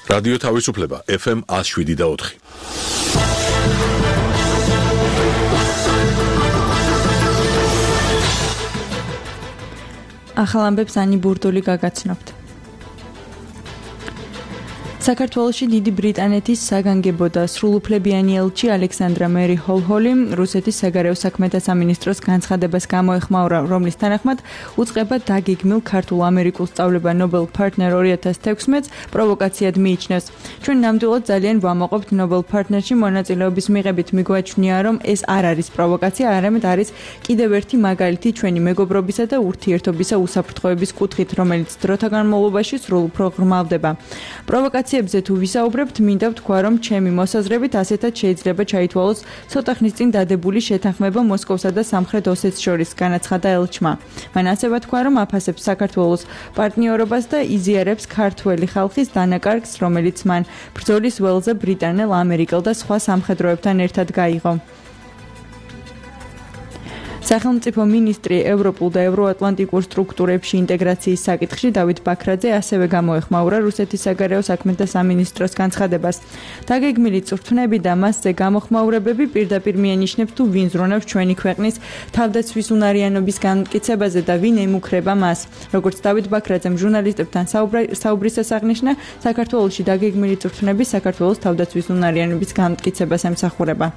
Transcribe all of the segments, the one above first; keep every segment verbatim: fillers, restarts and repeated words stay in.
რადიო თავისუფლება ეფ ემ one oh seven და four. ახალ ამბებს ანი ბურდული გაგაცნობთ. საქართველოში დიდი ბრიტანეთის საგანგებო და სრულუფლებიანი ელჩი ალექსანდრა მერი ჰოლჰოლი რუსეთის საგარეო საქმეთა სამინისტროს განცხადებას გამოეხმაურა, რომლის თანახმად უწყება დაგეგმილ ქართულ-ამერიკულ სწავლება Nobel Partner two thousand sixteen-ს პროვოკაციად მიიჩნევს. ჩვენ ნამდვილად ძალიან ვამაყობთ Nobel Partner-ში მონაწილეობის მიღებით, მიგვაჩნია, რომ ეს არ არის პროვოკაცია, არამედ არის კიდევ ერთი მაგალითი ჩვენი მეგობრობისა და ურთიერთობისა უსაფრთხოების კუთხით, რომელიც დროთა განმავლობაში სრულუფრო ღრმავდება. პროვოკაცია ზე თუ ვისაუბრებთ, მინდა ვთქვა, რომ ჩემი მოსაზრებით ასეთად შეიძლება ჩაითვალოს ცოტა ხნის წინ დადებული შეთანხმება მოსკოვსა და სამხრეთ ოსეთს შორის, განაცხადა ელჩმა. მან ასევე თქვა, რომ აფასებს საქართველოს პარტნიორობას და იზიარებს ქართველი ხალხის დანაკარგს, რომელიც მან ბრძოლის ველზე ბრიტანელ, ამერიკელ და სხვა სამხედროებთან ერთად გაიღო. სახელმწიფო მინისტრი ევროპულ და ევროატლანტიკურ სტრუქტურებში ინტეგრაციის საკითხში დავით ბაქრაძე ასევე გამოეხმაურა რუსეთის საგარეო საქმეთა სამინისტროს განცხადებას. დაგეგმილი წვრთნები და მასზე გამოხმაურებები პირდაპირ მიანიშნებს თუ ვინ ზრუნავს ჩვენი ქვეყნის თავდაცვის უნარიანობის განმტკიცებაზე და ვინ ემუქრება მას. როგორც დავით ბაქრაძემ ჟურნალისტებთან საუბრისას აღნიშნა, საქართველოში დაგეგმილი წვრთნები საქართველოს თავდაცვის უნარიანობის განმტკიცებას ემსახურება.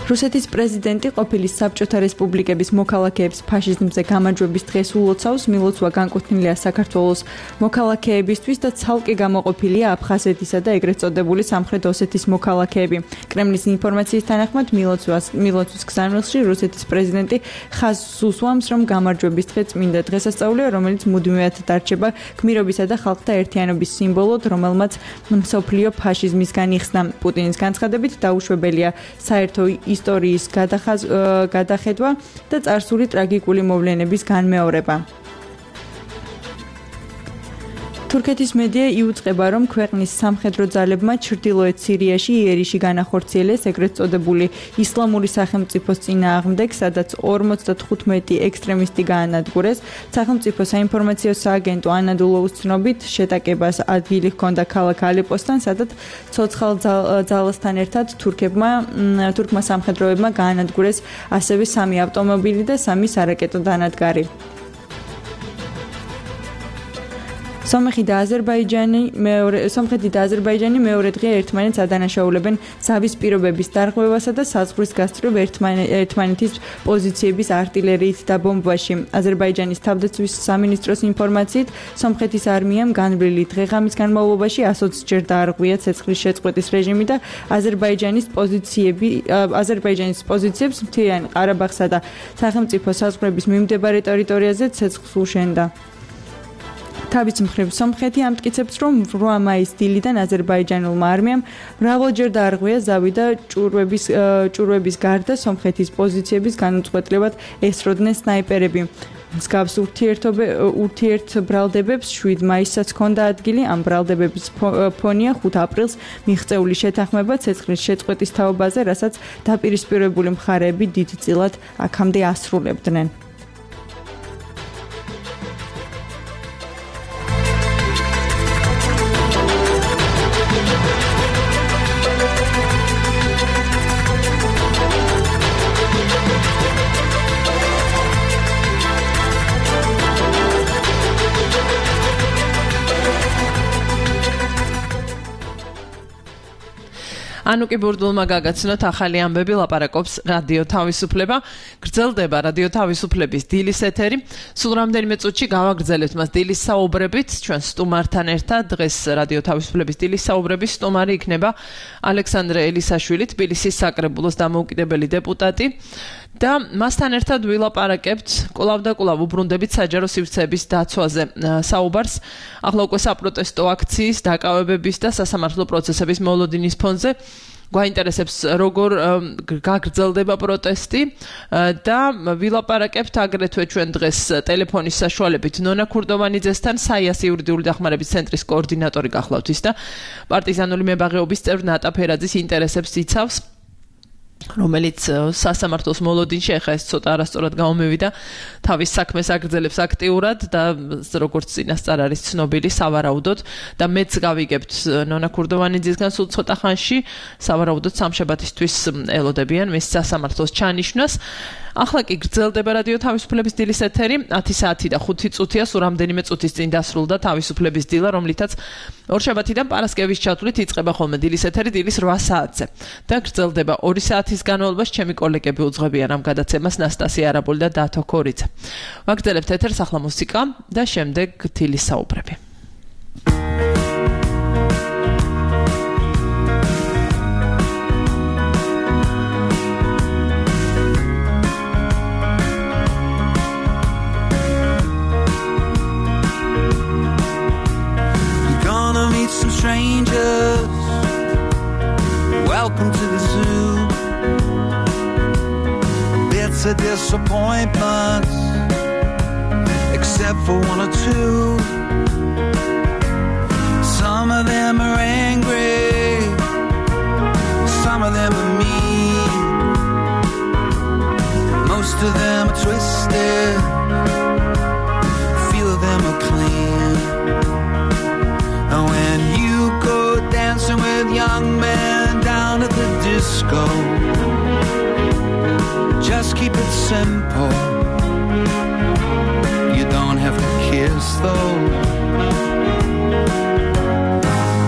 რუსეთის პრეზიდენტი ყოფილი საბჭოთა რესპუბლიკების მოქალაქეებს ფაშიზმზე გამარჯვების დღეს ულოცავს. მილოცვა განკუთვნილია საქართველოს მოქალაქეებისთვის და ცალკე გამოყოფილია აფხაზეთისა და ეგრეთ წოდებული სამხრეთ ოსეთის მოქალაქეები. კრემლის ინფორმაციის თანახმად მილოცვას მილოცვის გზავნილში რუსეთის პრეზიდენტი ხაზს უსვამს, რომ გამარჯვების დღე წმინდა დღესასწაულია, რომელიც მუდმივად დარჩება გმირობისა და ხალხთა ერთიანობის სიმბოლოდ, რომელმაც მსოფლიო ფაშიზმისგან იხსნა. პუტინის განცხადებით დაუშვებელია საერთო ისტორიის გადახედვა და წარსული ტრაგიკული მოვლენების განმეორება. თურქეთის მედია იუწყება, რომ ქვეყნის სამხედრო ძალებმა ჩრდილოეთ სირიაში იერიში განახორციელეს ეგრეთ წოდებული ისლამური სახელმწიფოს წინააღმდეგ, სადაც ორმოცდათხუთმეტი ექსტრემისტი გაანადგურეს. სახელმწიფო საინფორმაციო სააგენტო ანადოლუს ცნობით, შეტაკებას ადგილი ჰქონდა ქალაქ ალეპოსთან, სადაც ცოცხალ ძალასთან ერთად თურქებმა თურქმა სამხედროებმა გაანადგურეს ასევე სამი ავტომობილი და სამი სარაკეტო დანადგარი. სომხეთი და აზერბაიჯანი მეორე სომხეთი და აზერბაიჯანი მეორე დღე ერთმანეთს ადანაშაულებენ ზავის პირობების დარღვევასა და საზღვრის გასწვრივ ერთმანეთის პოზიციების артиლერიით და ბომბაში. აზერბაიჯანის თავდაცვის სამინისტროს ინფორმაციით, სომხეთის არმიამ განვლილი დღე-ღამის განმავლობაში one hundred ჯერ დაარღვია ცეცხლის შეწყვეტის რეჟიმი და აზერბაიჯანის პოზიციები აზერბაიჯანის პოზიციებს მთიან ყარაბაღსა და სახელმწიფო საზღვრების მიმდებარე ტერიტორიაზე ცეცხლს უშენდა. თავის მხრივ სომხეთი ამტკიცებს, რომ eight მაისის დილიდან აზერბაიჯანულმა არმიამ მრავალჯერ დაარღვია ზავი და ჭურვების ჭურვების გარდა სომხეთის პოზიციების განუწყვეტლივად ესროდნენ სნაიპერები. მსგავს ურთიერთბრალდებებს seven მაისსაც ჰქონდა ადგილი. ამ ბრალდებების ფონია ხუთი აპრილს მიღწეული შეთანხმება ცეცხლის შეწყვეტის თაობაზე, რასაც დაპირისპირებული მხარეები დიდწილად აქამდე ასრულებდნენ. ანუკი ბურდულმა გაგაცნოთ ახალი ამბები, ლაპარაკობს რადიო თავისუფლება. გრძელდება რადიო თავისუფლების დილის ეთერი. სულ რამდენიმე წუთში გავაგრძელებთ მას დილის საუბრებით ჩვენ სტუმართან ერთად. დღეს რადიო თავისუფლების დილის საუბრების სტუმარი იქნება ალექსანდრე ელისაშვილი, თბილისის საკრებულოს დამოუკიდებელი დეპუტატი. და მასთან ერთად ვილაპარაკებთ კვლავ და კვლავ უბრუნდებით საჯარო სივრცეების დაცვაზე საუბარს. ახლა უკვე საპროტესტო აქციის, დაკავებების და სასამართლო პროცესების მოლოდინის ფონზე. გვაინტერესებს როგორ გაგრძელდება პროტესტი და ვილაპარაკებთ აგრეთვე ჩვენ დღეს ტელეფონის საშუალებით ნონა ქურდოვანიძესთან, საიას იურიდიული დახმარების ცენტრის კოორდინატორი გახლავთ ის და პარტიზანული მებაღეობის წევრ ნატა ფერაძის ინტერესებს იცავს. რომელიც სასამართლოს მოლოდინში ახლა ეს ცოტა არასწორად გამომივიდა თავის საქმეს აგრძელებს აქტიურად და როგორც წინასწარ არის ცნობილი სავარაუდოდ და მეც გავიგებთ ნონა ქურდოვანიძისგან სულ ცოტა ხანში სავარაუდოდ სამშაბათისთვის ელოდებიან მის სასამართლოს ჩანიშვნას ახლა კი გრძელდება რადიო თავისუფლების დილის ეთერი ათი საათი და ხუთი წუთია სულ რამდენიმე წუთის წინ დასრულდა თავისუფლების დილა რომლითაც ორშაბათიდან პარასკევის ჩათვლით იწყება ხოლმე დილის ეთერი დილის რვა საათზე და გრძელდება ორი საათის განმავლობაში ჩემი კოლეგები უძღვებიან ამ გადაცემას ნასტასია არაბული და დათო ქორიძე ვაგრძელებთ ეთერს ახლა მუსიკა და შემდეგ დილის საუბრები Some strangers, welcome to the zoo. Bits of disappointments, except for one or two. Some of them are angry, some of them are mean. Most of them are twisted, few of them are clean. And when you go dancing with young men down at the disco, just keep it simple. You don't have to kiss though.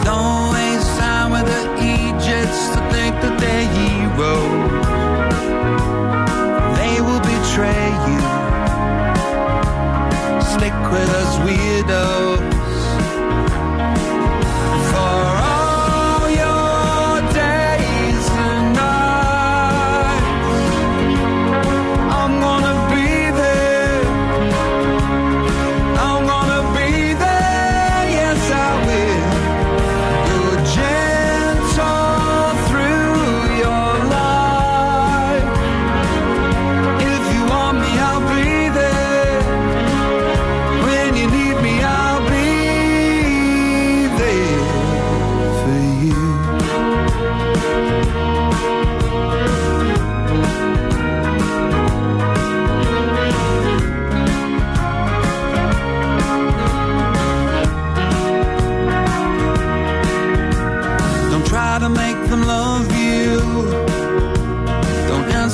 Don't waste time with the Egypts to think that they're heroes. They will betray you. Stick with us weirdos.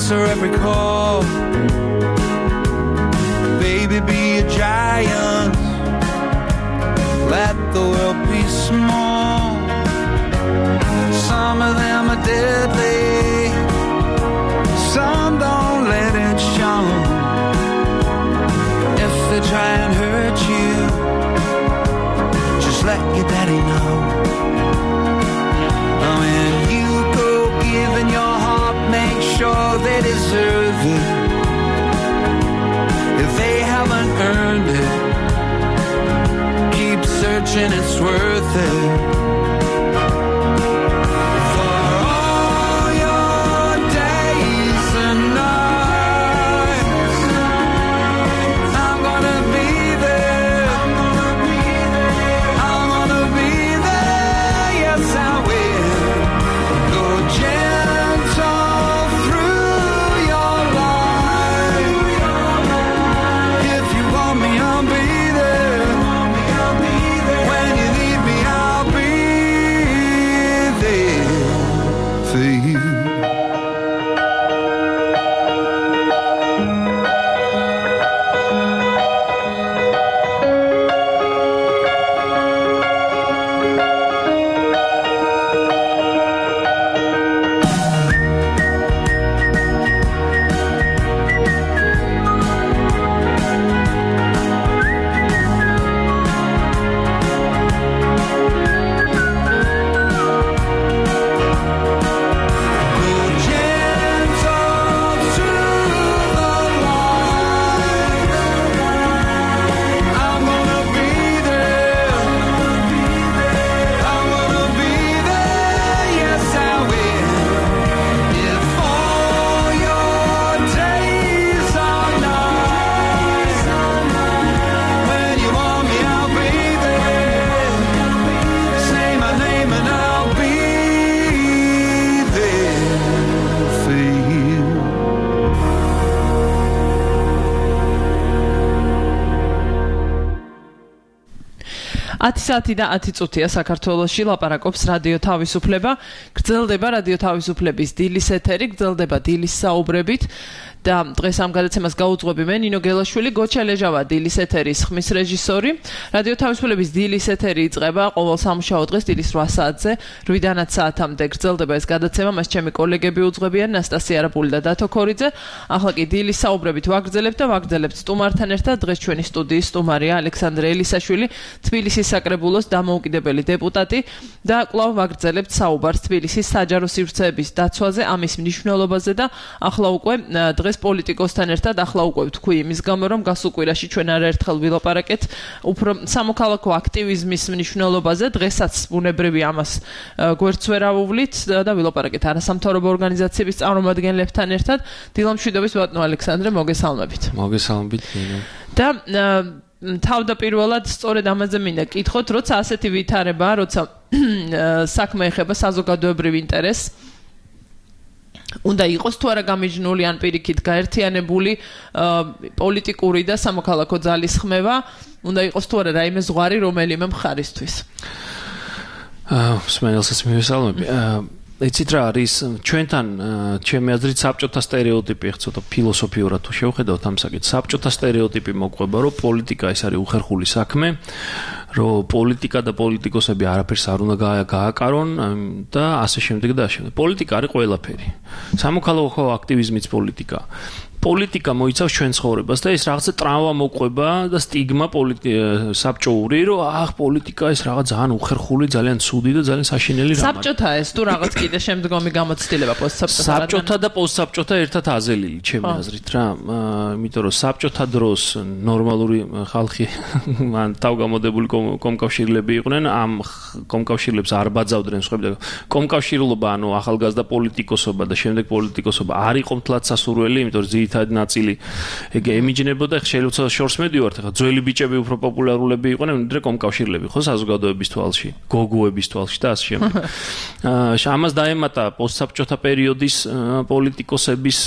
Every call, baby, be a giant. Let the world be small. Some of them are deadly, some don't let it show. If they try and hurt you, just let your daddy know. When you go giving your heart, make sure they deserve it. If they haven't earned it, keep searching, it's worth it. When you need me, I'll be ათი საათი და ათი წუთია საქართველოში ლაპარაკობს რადიო თავისუფლება. გრძელდება რადიო თავისუფლების დილის ეთერი, გრძელდება დილის საუბრებით და დღეს ამ გადაცემას გაუძღვები მე ნინო გელაშვილი, გოჩა ლეჟავა დილის ეთერის ხმის რეჟისორი. რადიო თავისუფლების დილის ეთერი იწყება ყოველ სამუშაო დღეს დილის რვა საათზე, რვიდან ათი საათამდე გრძელდება ეს გადაცემა, მას ჩემი კოლეგები უძღვებიან ნასტასია არაპული და დათო ქორიძე. ახლა კი დილის საუბრებით ვაგრძელებთ და ვაგრძელებთ სტუმართან ერთად. დღეს ჩვენი სტუდიის სტუმარია ალექსანდრე ელისაშვილი, თბილისის საკრებულოს დამოუკიდებელი დეპუტატი და კვლავ ვაგრძელებთ საუბარს თბილისის საჯარო სივრცეების დაცვაზე, ამის მნიშვნელობაზე და ახლა უკვე დღეს პოლიტიკოსთან ერთად ახლა უკვე ვთქვი იმის გამო, რომ გასულ კვირაში ჩვენ არაერთხელ ვილაპარაკეთ უფრო სამოქალაქო აქტივიზმის მნიშვნელობაზე. დღესაც ბუნებრივი ამას გვერდს ვერ ავუვლით და ვილაპარაკეთ არასამთავრობო ორგანიზაციების წარმომადგენლებთან ერთად. დილამშვიდობის ბატონო ალექსანდრე, მოგესალმებით. მოგესალმებით ნინო. და თავდაპირველად სწორედ ამაზე მინდა კითხოთ, როცა ასეთი ვითარებაა, როცა საქმე ეხება საზოგადოებრივ ინტერესს, უნდა იყოს თუ არა გამიჯნული ან პირიქით გაერთიანებული პოლიტიკური და სამოქალაქო ძალის ხმევა, უნდა იყოს თუ არა რაიმე ზღვარი რომელიმე მხარისთვის. აა სმენელსაც მივესალმები. იცით რა არის ჩვენთან ჩემი აზრით საბჭოთა სტერეოტიპი ცოტა ფილოსოფიურად თუ შევხედავთ ამ საკითხს, საბჭოთა სტერეოტიპი მოყვება, რომ პოლიტიკა ეს არის უხერხული საქმე, რომ პოლიტიკა და პოლიტიკოსები არაფერს არ უნდა გააკარონ და ასე შემდეგ და ასე შემდეგ. პოლიტიკა არის ყველაფერი. სამოქალაქო აქტივიზმიც პოლიტიკა. პოლიტიკა მოიცავს ჩვენ ცხოვრებას და ეს რაღაცა ტრავმა მოყვება და სტიგმა საბჭოური, რომ აх პოლიტიკა ეს რაღაც ძალიან უხერხული, ძალიან ცუდი და ძალიან საშინელი რამაა. საბჭოთა ეს თუ რაღაც კიდე შემდგომი გამოცდილება პოსტსაბჭოთა საბჭოთა და პოსტსაბჭოთა ერთად აზელილი ჩემი აზრით რა, იმიტომ რომ საბჭოთა დროს ნორმალური ხალხი მან თავგამოდებული კომკავშირლები იყვნენ, ამ კომკავშირლებს არ ბაძავდნენ სხვები. კომკავშირლობა, ანუ ახალგაზრდა პოლიტიკოსობა და შემდეგ პოლიტიკოსობა არ იყო მთლად სასურველი, იმიტომ რომ ძირითადი ნაწილი ეგ ემიჯნებოდა, შეიძლება შორს მედივართ, ხა ძველი ბიჭები უფრო პოპულარულები იყვნენ, ვიდრე კომკავშირლები, ხო, საზოგადოების თვალში, გოგოების თვალში და ასე შემდეგ. ამას დაემატა პოსტსაბჭოთა პერიოდის პოლიტიკოსების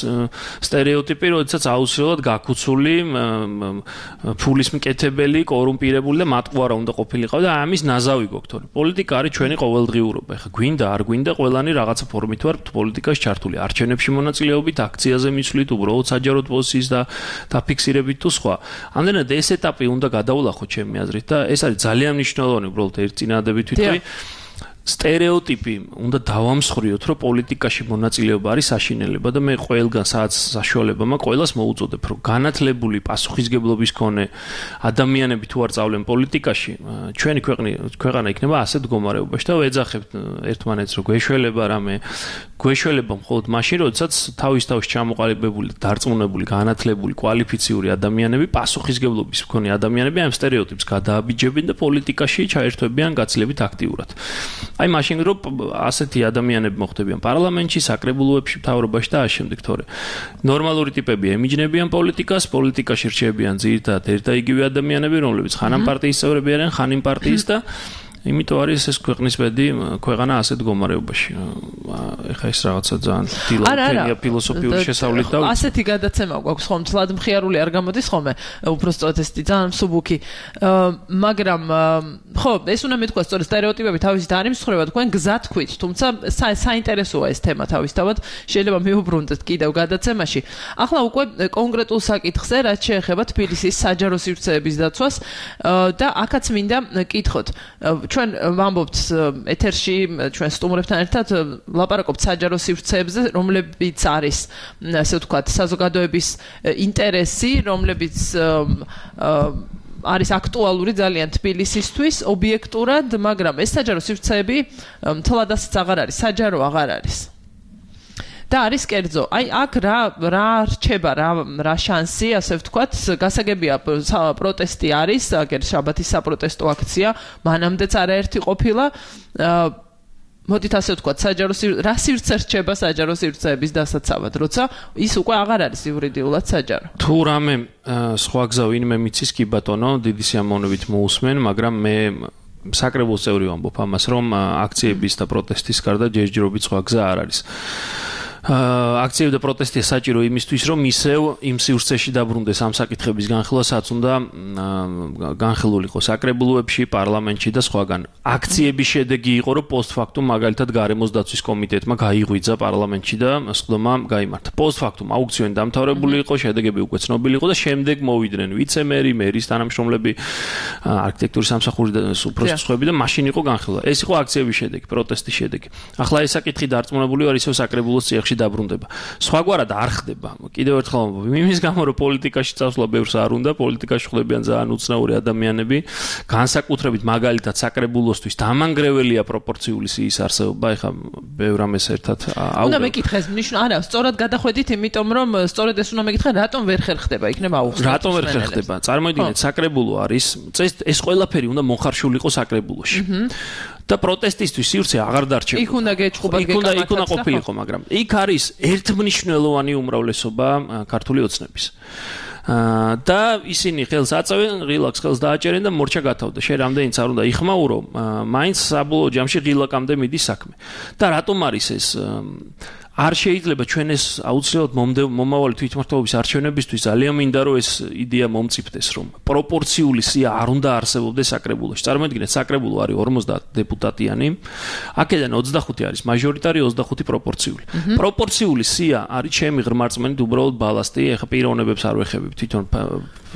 სტერეოტიპი, როდესაც აუცილებლად გაქუცული, ფულის მკეთებელი, კორუმპირებული და მატყუარა უნდა ყოფილიყო და ამის ნაზავი გქონდ. პოლიტიკა არის ჩვენი ყოველდღიურობა. ხა გვინდა, არ გვინდა, ყველანი რაღაცა ფორმით ვარ პოლიტიკაში ჩართული. არჩევნებში მონაწილეობით, აქციაზე მიცვლით, უბრალოდ საჯაროდ პოზიციის და დაფიქსირებით თუ სხვა. ამდენად ეს ეტაპი უნდა გადაულახოთ ჩემი აზრით და ეს არის ძალიან მნიშვნელოვანი, უბრალოდ ერთ წინადადებით ვიტყვი. სტერეოტიპი უნდა დავამსხვრიოთ, რომ პოლიტიკაში მონაწილეობა არის საშინელება და მე ყველგან სადაც საშუალება მაქვს, ყველას მოუწოდებ, რომ განათლებული პასუხისგებლობის მქონე ადამიანები თუ არ წავლენ პოლიტიკაში, ჩვენი ქვეყნი ქვეყანა იქნება ასეთ მდგომარეობაში და ვეძახებთ ერთმანეთს, რომ გვეშველება რამე, გვეშველება მხოლოდ მაშინ, როდესაც თავის თავში ჩამოყალიბებული, დარწმუნებული, განათლებული, კვალიფიციური ადამიანები, პასუხისგებლობის მქონე ადამიანები ამ სტერეოტიპს გადააბიჯებენ და პოლიტიკაში ჩაერთვებიან გაცილებით აქტიურად. აი მაშინ რომ ასეთი ადამიანები მოხდებიან პარლამენტში, საკრებულოებში, მთავრობაში და ასე შემდეგ, თორე ნორმალური ტიპები ემიჯნებიან პოლიტიკას, პოლიტიკაში რჩებიან ძირითადად ერთ და იგივე ადამიანები, რომლებიც ხან ამ პარტიის წევრები არიან, ხან იმ პარტიის და იმიტომ არის ეს ქვეყნის ბედი ქვეყანა ასეთ მდგომარეობაში. ეხა ეს რაღაცა ძალიან დილა ფილოსოფიური შესავლით და ასეთი გადაცემა გვაქვს ხომ, თლად მხიარული არ გამოდის ხოლმე, უბრალოდ ეს ძალიან მსუბუქი. მაგრამ ხო, ეს უნდა მეთქვა სწორედ სტერეოტიპები თავისით არ იმსხვრება, თქვენ გზად თქვით, თუმცა საინტერესოა ეს თემა თავისთავად, შეიძლება მივუბრუნდეთ კიდევ გადაცემაში. ახლა უკვე კონკრეტულ საკითხზე, რაც შეეხება თბილისის საჯარო სივრცეების დაცვას და აქაც მინდა კითხოთ. ჩვენ ვამბობთ ეთერში ჩვენ სტუმრებთან ერთად ლაპარაკობთ საჯარო სივრცეებზე, რომლებიც არის, ასე ვთქვათ, საზოგადოების ინტერესი, რომლებიც არის აქტუალური ძალიან თბილისისთვის ობიექტურად, მაგრამ ეს საჯარო სივრცეები მთლად ასეც აღარ არის, საჯარო აღარ არის. და არის კერძო. აი აქ რა რა რჩება, რა რა შანსი, ასე ვთქვათ, გასაგებია პროტესტი არის, აგერ შაბათის საპროტესტო აქცია, მანამდეც არაერთი ყოფილა. მოდით ასე ვთქვათ, საჯარო რა სივრცე რჩება საჯარო სივრცეების დასაცავად, როცა ის უკვე აღარ არის იურიდიულად საჯარო. თუ რამე სხვა გზა ვინმე მიცის კი ბატონო, დიდი სიამოვნებით მოусმენ, მაგრამ მე საკრებულოს წევრი ვამბობ ამას, რომ აქციების და პროტესტის გარდა ჯერჯერობით სხვა გზა არ არის. აქციები და პროტესტია საჭირო იმისთვის, რომ ისევ იმ სივრცეში დაბრუნდეს ამ საკითხების განხილვა, სადაც უნდა განხილულიყო საკრებულოებში, პარლამენტში და სხვაგან. აქციების შედეგი იყო, რომ პოსტფაქტუმ მაგალითად გარემოს დაცვის კომიტეტმა გაიღვიძა პარლამენტში და სხდომა გაიმართა. პოსტფაქტუმ აუქციონი დამთავრებული იყო, შედეგები უკვე ცნობილი იყო და შემდეგ მოვიდნენ ვიცე-მერი, მერის თანამშრომლები, არქიტექტურის სამსახური და უпроსტ სხვები და მაშინ იყო განხილვა. ეს იყო აქციების შედეგი, პროტესტის შედეგი. ახლა ეს საკითხი დარწმუნებული ვარ, ისევ საკრებულოს წიაღში დაბრუნდება. სხვაგვარად არ ხდება. კიდევ ერთხელ ვამბობ, იმის გამო რომ პოლიტიკაში წასვლა ბევრს არ უნდა, პოლიტიკაში ხდებიან ძალიან უცნაური ადამიანები, განსაკუთრებით მაგალითად საკრებულოსთვის დამანგრეველია პროპორციული სიის არსებობა, ეხლა ბევრ ამას ერთად აუგებ. უნდა მეკითხეს, ნიშნ არა, სწორად გადახვედით, იმიტომ რომ სწორედ ეს უნდა მეკითხე, რატომ ვერ ხერხდება, იქნება აუხსნა. რატომ ვერ ხერხდება? წარმოიდგინეთ, საკრებულო არის, ეს ყველაფერი უნდა მოხარშულიყო საკრებულოში. და პროტესტისთვის სივრცე აღარ დარჩება. იქ უნდა გეჭყობა გეკამათაც. იქ უნდა ყოფილიყო, მაგრამ იქ არის ერთმნიშვნელოვანი უმრავლესობა ქართული ოცნების. და ისინი ხელს აწევენ, ღილაკს ხელს დააჭერენ და მორჩა გათავდა. შენ რამდენიც არ უნდა იხმაურო, მაინც საბოლოო ჯამში ღილაკამდე მიდის საქმე. და რატომ არის ეს არ შეიძლება ჩვენ ეს აუცილებლად მომავალი თვითმმართველობის არჩევნებისთვის ძალიან მინდა რომ ეს იდეა მომწიფდეს რომ პროპორციული სია არ უნდა არსებობდეს საკრებულოში. წარმოიდგინეთ, საკრებულო არის ორმოცდაათ დეპუტატიანი, აქედან ოცდახუთი არის მაჟორიტარი, ოცდახუთი პროპორციული. პროპორციული სია არის ჩემი ღრმარწმენით უბრალოდ ბალასტი, ეხა პიროვნებებს არ ვეხებებ თვითონ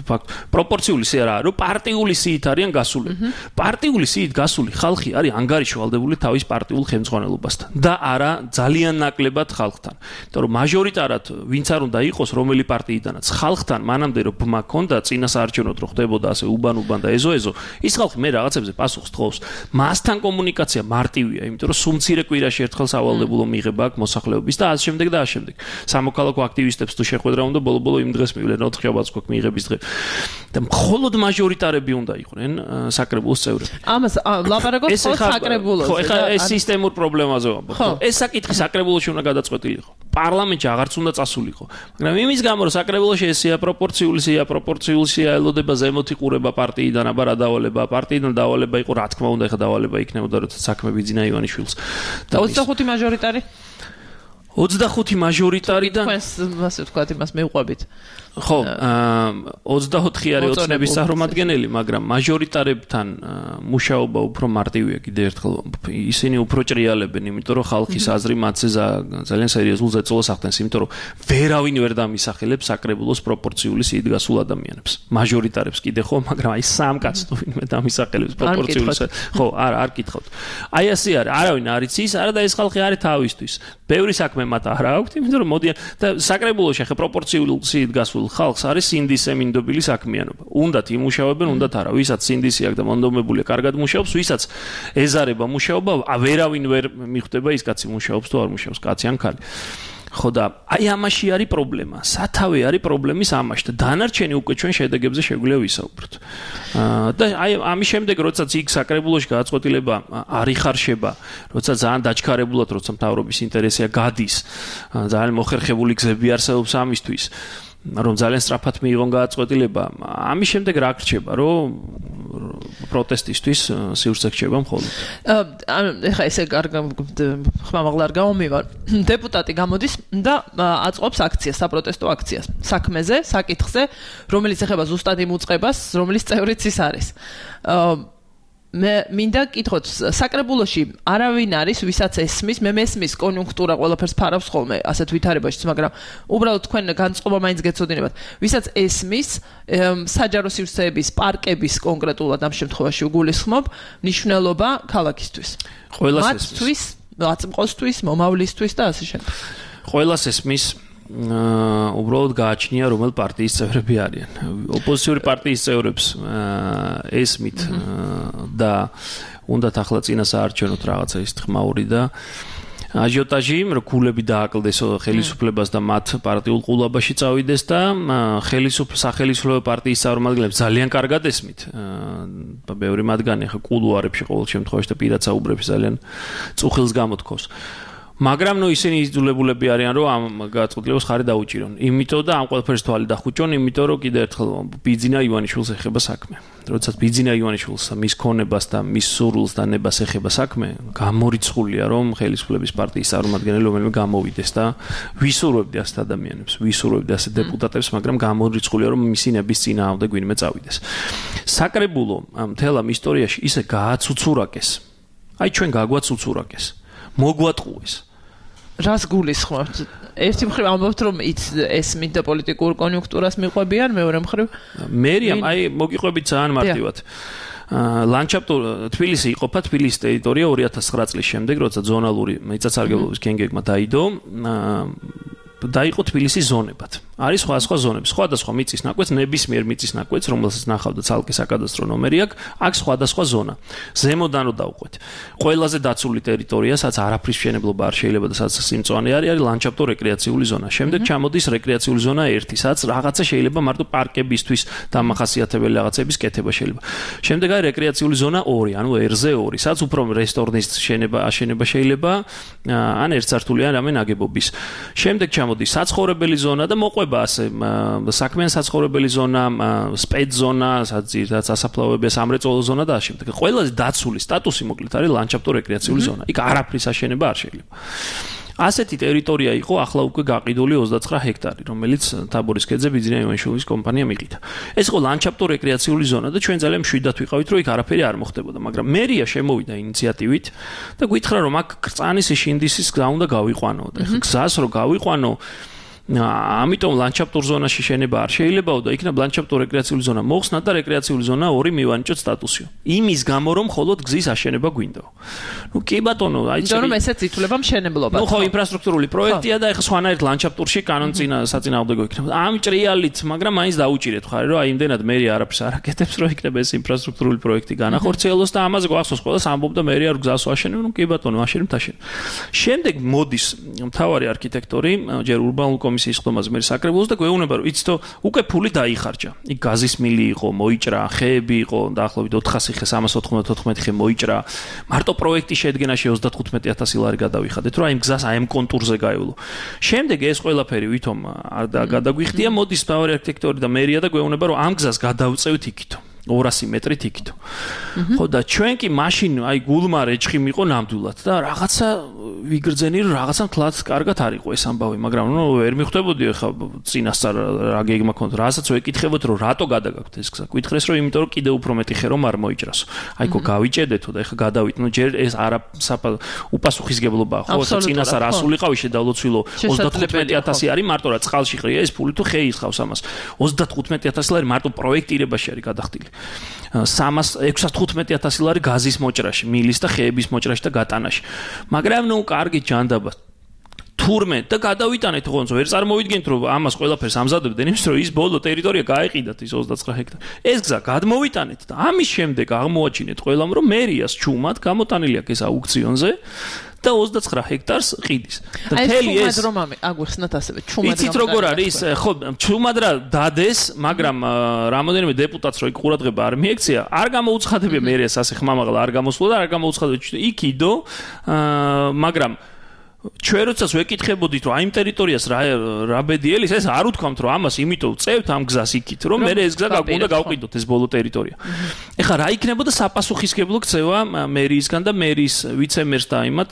ფაქტ. პროპორციული სია რა, რომ პარტიული სიით არიან გასულები. პარტიული სიით გასული ხალხი არის ანგარიშვალდებული თავის პარტიულ ხელმძღვანელობასთან და არა ძალიან ნაკლებად ხალხთან. იმიტომ რომ მაჟორიტარად ვინც არ უნდა იყოს რომელი პარტიიდანაც ხალხთან მანამდე რომ ბმა ქონდა წინასაარჩევნოდ რო ხდებოდა ასე უბან-უბან და ეზო-ეზო, ის ხალხი მე რაღაცებზე პასუხს თხოვს. მასთან კომუნიკაცია მარტივია, იმიტომ რომ სუმცირე კვირაში ერთხელ სავალდებულო მიღება აქვს მოსახლეობის და ასე შემდეგ და ასე შემდეგ. სამოქალაქო აქტივისტებს თუ შეხვედრა უნდა ბოლო-ბოლო იმ დღეს მივლენ, ოთხშაბათს გვაქვს მიღების დღე. და მხოლოდ მაჟორიტარები უნდა იყვნენ საკრებულოს წევრები. ამას ლაპარაკობთ საკრებულოზე. ხო, ეხლა ეს სისტემურ პრობლემაზე ვამბობ. ეს საკითხი საკრებულოში უნდა გადაწყვეტილიყო. პარლამენტში აღარც უნდა წასულიყო. მაგრამ იმის გამო რომ საკრებულოში ესეა პროპორციული სია, პროპორციული სია ელოდება ზემოთ იყურება პარტიიდან, აბა რა დავალება, პარტიიდან დავალება იყო, რა თქმა უნდა, ეხლა დავალება იქნებოდა, როცა საქმე ბიძინა ივანიშვილს. და ოცდახუთი მაჟორიტარი? ოცდახუთი მაჟორიტარი და თქვენს ასე ვთქვათ, იმას მეუყვებით. ხო, ოცდაოთხი არის ოცნების წარმომადგენელი, მაგრამ მაჟორიტარებთან მუშაობა უფრო მარტივია კიდევ ერთხელ. ისინი უფრო ჭრიალებენ, იმიტომ რომ ხალხის აზრი მათზე ძალიან სერიოზულ ზეწოლას ახდენს, იმიტომ რომ ვერავინ ვერ დამისახელებს საკრებულოს პროპორციული სიით გასულ ადამიანებს. მაჟორიტარებს კიდე ხო, მაგრამ აი სამ კაცს თუ ვინმე დამისახელებს პროპორციული სიით. ხო, არა, არ კითხავთ. აი ასე არის, არავინ არ იცის, არა და ეს ხალხი არის თავისთვის. ბევრი საქმე მათ არ აქვს, იმიტომ რომ მოდიან და საკრებულოში ახლა პროპორციული სიით გასულ ხალხს არის სინდისე მინდობილი საქმიანობა. უნდათ იმუშავებენ, უნდათ არა. ვისაც სინდისი აქვს და მონდომებულია, კარგად მუშაობს, ვისაც ეზარება მუშაობა, ვერავინ ვერ მიხვდება ის კაცი მუშაობს თუ არ მუშაობს, კაცი ან ქალი. ხო და აი ამაში არის პრობლემა. სათავე არის პრობლემის ამაში და დანარჩენი უკვე ჩვენ შედეგებზე შეგვიძლია ვისაუბროთ. და აი ამის შემდეგ, როდესაც იქ საკრებულოში გადაწყვეტილება არ იხარშება, როცა ძალიან დაჩქარებულად, როცა მთავრობის ინტერესია გადის, ძალიან მოხერხებული გზები არსებობს ამისთვის. რომ ძალიან სწრაფად მიიღონ გადაწყვეტილება, ამის შემდეგ რა გრჩება, რომ პროტესტისთვის სივრცე გრჩება მხოლოდ. ეხლა ესე ხმამაღლა არ გამომივარ. დეპუტატი გამოდის და აწყობს აქციას, საპროტესტო აქციას, საქმეზე, საკითხზე, რომელიც ეხება ზუსტად იმ უწყებას, რომლის წევრიც ის არის. მე მინდა კითხოთ, საკრებულოში არავინ არის, ვისაც ესმის, მე მესმის კონიუნქტურა ყველაფერს ფარავს ხოლმე, ასეთ ვითარებაშიც, მაგრამ უბრალოდ თქვენ განწყობა მაინც გეცოდინებათ, ვისაც ესმის საჯარო სივრცეების, პარკების კონკრეტულად ამ შემთხვევაში უგულისხმობ ნიშნულობა ქალაქისთვის. ყველას ესმის. მათთვის, აწმყოსთვის, მომავლისთვის და ასე შემდეგ. ყველას ესმის. უბრალოდ გააჩნია რომელ პარტიის წევრები არიან. ოპოზიციური პარტიის წევრებს ესმით და უნდათ ახლა წინასაარჩევნოთ რაღაცა ის ხმაური და აჟიოტაჟი, რომ გულები დააკლდეს ხელისუფლებას და მათ პარტიულ ყულაბაში წავიდეს და სახელმწიფო პარტიის წარმომადგენლებს ძალიან კარგად ესმით. ბევრი მათგანი ახლა კულუარებში ყოველ შემთხვევაში და პირად საუბრებში ძალიან წუხილს გამოთქოს. მაგრამ ნუ ისინი იძულებულები არიან რომ ამ გაწყვეტილებას ხარი დაუჭირონ. იმიტომ და ამ ყველაფერს თვალი დახუჭონ, იმიტომ რომ კიდე ერთხელ ბიძინა ივანიშვილს ეხება საქმე. როდესაც ბიძინა ივანიშვილს მის ქონებას და მის სურვილს და ნებას ეხება საქმე, გამორიცხულია რომ ხელისუფლების პარტიის წარმომადგენელი რომელიმე გამოვიდეს და ვისურვებდი ასეთ ადამიანებს, ვისურვებდი ასეთ დეპუტატებს, მაგრამ გამორიცხულია რომ მისი ნების წინააღმდეგ ვინმე წავიდეს. საკრებულო მთელ ამ ისტორიაში ისე გააცუცურაკეს. აი ჩვენ გაგვაცუცურაკეს. მოგვატყუეს. რას გულისხმობთ? ერთი მხრივ ამბობთ რომ ეს მინდა პოლიტიკურ კონიუნქტურას მიყვებიან, მეორე მხრივ მერიამ აი მოგიყვებით ძალიან მარტივად. ლანდშაფტო თბილისი იყოფა თბილისის ტერიტორია ორი ათას ცხრა წლის შემდეგ, როცა ზონალური მიწათსარგებლობის გენგებმა დაიდო, დაიყო თბილისის ზონებად. არის სხვა-სხვა ზონები, სხვადასხვა მიწის ნაკვეთს, ნებისმიერ მიწის ნაკვეთს, რომელსაც ნახავდა ცალკე საკადასტრო ნომერი აქვს, აქ სხვადასხვა ზონა. ზემოდან რო დავყვეთ. ყველაზე დაცული ტერიტორია, სადაც არაფრის მშენებლობა არ შეიძლება და სადაც სიმწვანე არის, არის ლანდშაფტო რეკრეაციული ზონა. შემდეგ ჩამოდის რეკრეაციული ზონა ერთი, სადაც რაღაცა შეიძლება მარტო პარკებისთვის დამახასიათებელი რაღაცების კეთება შეიძლება. შემდეგ არის რეკრეაციული ზონა ორი, ანუ ერზე ორი, სადაც უფრო რესტორნის შენება, აშენება შეიძლება, ან ერთსართულიან რამე ნაგებობის. შემდეგ ჩამოდის საცხოვრებელი ზონა და მოყვება ასე საქმიან საცხოვრებელი ზონა, სპეცზონა, სადაც ძირითადად სასაფლაოებია, სამრეწველო ზონა და ამავდროულად. ყველაზე დაცული სტატუსი მოკლედ არის ლანდშაფტო რეკრეაციული ზონა. იქ არაფრის აშენება არ შეიძლება. ასეთი ტერიტორია იყო ახლა უკვე გაყიდული ოცდაცხრა ჰექტარი, რომელიც თაბორის ქედზე ბიძინა ივანიშვილის კომპანიამ იყიდა. ეს იყო ლანდშაფტო რეკრეაციული ზონა და ჩვენ ძალიან მშვიდად ვიყავით, რომ იქ არაფერი არ მოხდებოდა, მაგრამ მერია შემოვიდა ინიციატივით და გითხრა რომ აქ კრწანის შინდისის გზა უნდა გავიყვანო და ეხლა გზას რო გავიყვანო ამიტომ ლანდშაფტურ ზონაში შენება არ შეიძლებაო და იქნებ ლანდშაფტურ რეკრეაციული ზონა მოხსნა და რეკრეაციული ზონა ორი მივანიჭოთ სტატუსიო. იმის გამო რომ მხოლოდ გზის აშენება გვინდაო. ნუ კი ბატონო, აი იმიტომ რომ ესეც ითვლება მშენებლობა. ნუ ხო ინფრასტრუქტურული პროექტია და ეხლა სხვანაირად ლანდშაფტურში კანონცინა საწინააღმდეგო იქნება. ამ ჭრიალით, მაგრამ მაინც დაუჭირეთ ხარ რომ აი იმდენად მერია არაფერს არ აკეთებს რომ იქნება ეს ინფრასტრუქტურული პროექტი განახორციელოს და ამაზე გვახსოვს ყველას ამბობდა მერია რომ გზას ვაშენებ, ნუ კი ბატონო, აშენებ თაშენ. შემდეგ მოდის მთავარი არქიტექტორი ჯერ ურბანულ კომისიის ხდომაზე მე საკრებულოს და გვეუბნება რომ იცით უკვე ფული დაიხარჯა. იქ გაზის მილი იყო, მოიჭრა, ხეები იყო, დაახლოებით ოთხასი ხე, სამას ოთხმოცდაოთხმეტი ხე მოიჭრა. მარტო პროექტის შედგენაში ოცდათხუთმეტი ათასი ლარი გადავიხადეთ, რომ აი ამ გზას აი ამ კონტურზე გაევლო. შემდეგ ეს ყველაფერი ვითომ არ გადაგვიხდია, მოდის მთავარი არქიტექტორი და მერია და გვეუბნება რომ ამ გზას გადავწევთ იქითო. ორასი მეტრით იქითო. ხო და ჩვენ კი მაშინ აი გულმა რეჩხი მიყო ნამდვილად და რაღაცა ვიგრძენი რომ რაღაცა თლაც კარგად არ იყო ეს ამბავი, მაგრამ ნუ ვერ მიხვდებოდი ხა წინასწარ რა გეგმა ქონდა. რასაც ვეკითხებოდ რომ რატო გადაგაქვთ ეს გზა. გითხრეს რომ იმიტომ რომ კიდე უფრო მეტი ხე რომ არ მოიჭრასო. აი ხო გავიჭედეთო და ეხა გადავით. ნუ ჯერ ეს არა უპასუხისგებლობაა ხო? წინასწარ ასულიყავი შედავლოცვილო ოცდათხუთმეტი ათასი არის მარტო რა წყალში ყრია ეს ფული თუ ხე ისხავს ამას. ოცდათხუთმეტი ათასი ლარი მარტო პროექტირებაში არის გადახდილი. სამას ექვსსათოთხმეტი ათასი ლარი გაზის მოჭრაში, მილის და ხეების მოჭრაში და გატანაში. მაგრამ ნუ კარგი ჯანდაბა თურმე და გადავიტანეთ ხონც ვერ წარმოვიდგენთ რომ ამას ყველაფერს ამზადებდნენ იმის რომ ის ბოლო ტერიტორია გაეყიდათ ის ოცდაცხრა ჰექტარი. ეს გზა გადმოვიტანეთ და ამის შემდეგ აღმოაჩინეთ ყველამ რომ მერიას ჩუმად გამოტანილი აქვს ეს აუქციონზე და ოცდაცხრა ჰექტარს ყიდის. და მთელი ეს რომ აგვიხსნათ ასევე ჩუმად იცით როგორ არის ხო ჩუმად რა დადეს, მაგრამ რამოდენიმე დეპუტატს რო იქ ყურადღება არ მიექცია, არ გამოუცხადებია მერიას ასე ხმამაღლა არ გამოსულა და არ გამოუცხადებია იქიდო, მაგრამ ჩვენ როდესაც ვეკითხებოდით რომ აი იმ ტერიტორიას რა რა ბედიელის ეს არ უთქვამთ რომ ამას იმიტომ წევთ ამ გზას იქით რომ მე ეს გზა უნდა გავყიდოთ ეს ბოლო ტერიტორია. ეხლა რა იქნებოდა საპასუხისგებლო ქცევა მერიისგან და მერის ვიცემერს და იმათ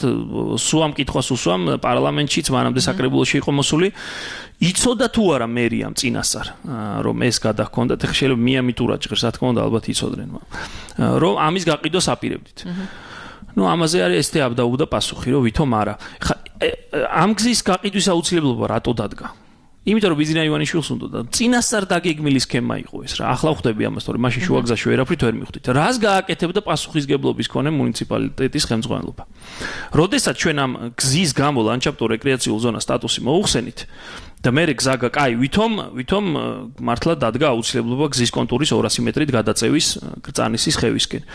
სუამ კითხვას უსვამ პარლამენტშიც მანამდე საკრებულოში იყო მოსული. იცოდა თუ არა მერიამ წინასწარ რომ ეს გადაგქონდათ, ეხლა შეიძლება მიამით ურაჯღერს, რა თქმა უნდა ალბათ იცოდნენ რომ ამის გაყიდვას აპირებდით. ნუ ამაზე არის ეს თეაბდაუბდა პასუხი რომ ვითომ არა. ხა ამ გზის გაყიდვის აუცილებლობა რატო დადგა? იმიტომ რომ ბიძინა ივანიშვილს უნდა და წინასწარ დაგეგმილი სქემა იყო ეს რა. ახლა ხვდები ამას, თორემ მაშინ შუა გზაში ვერაფრით ვერ მიხვდით. რას გააკეთებდა პასუხისგებლობის მქონე მუნიციპალიტეტის ხელმძღვანელობა? როდესაც ჩვენ ამ გზის გამო ლანდშაფტო რეკრეაციულ ზონას სტატუსი მოუხსენით და მე გზა კაი ვითომ ვითომ მართლა დადგა აუცილებლობა გზის კონტურის ორასი მეტრით გადაწევის კრწანისის ხევისკენ.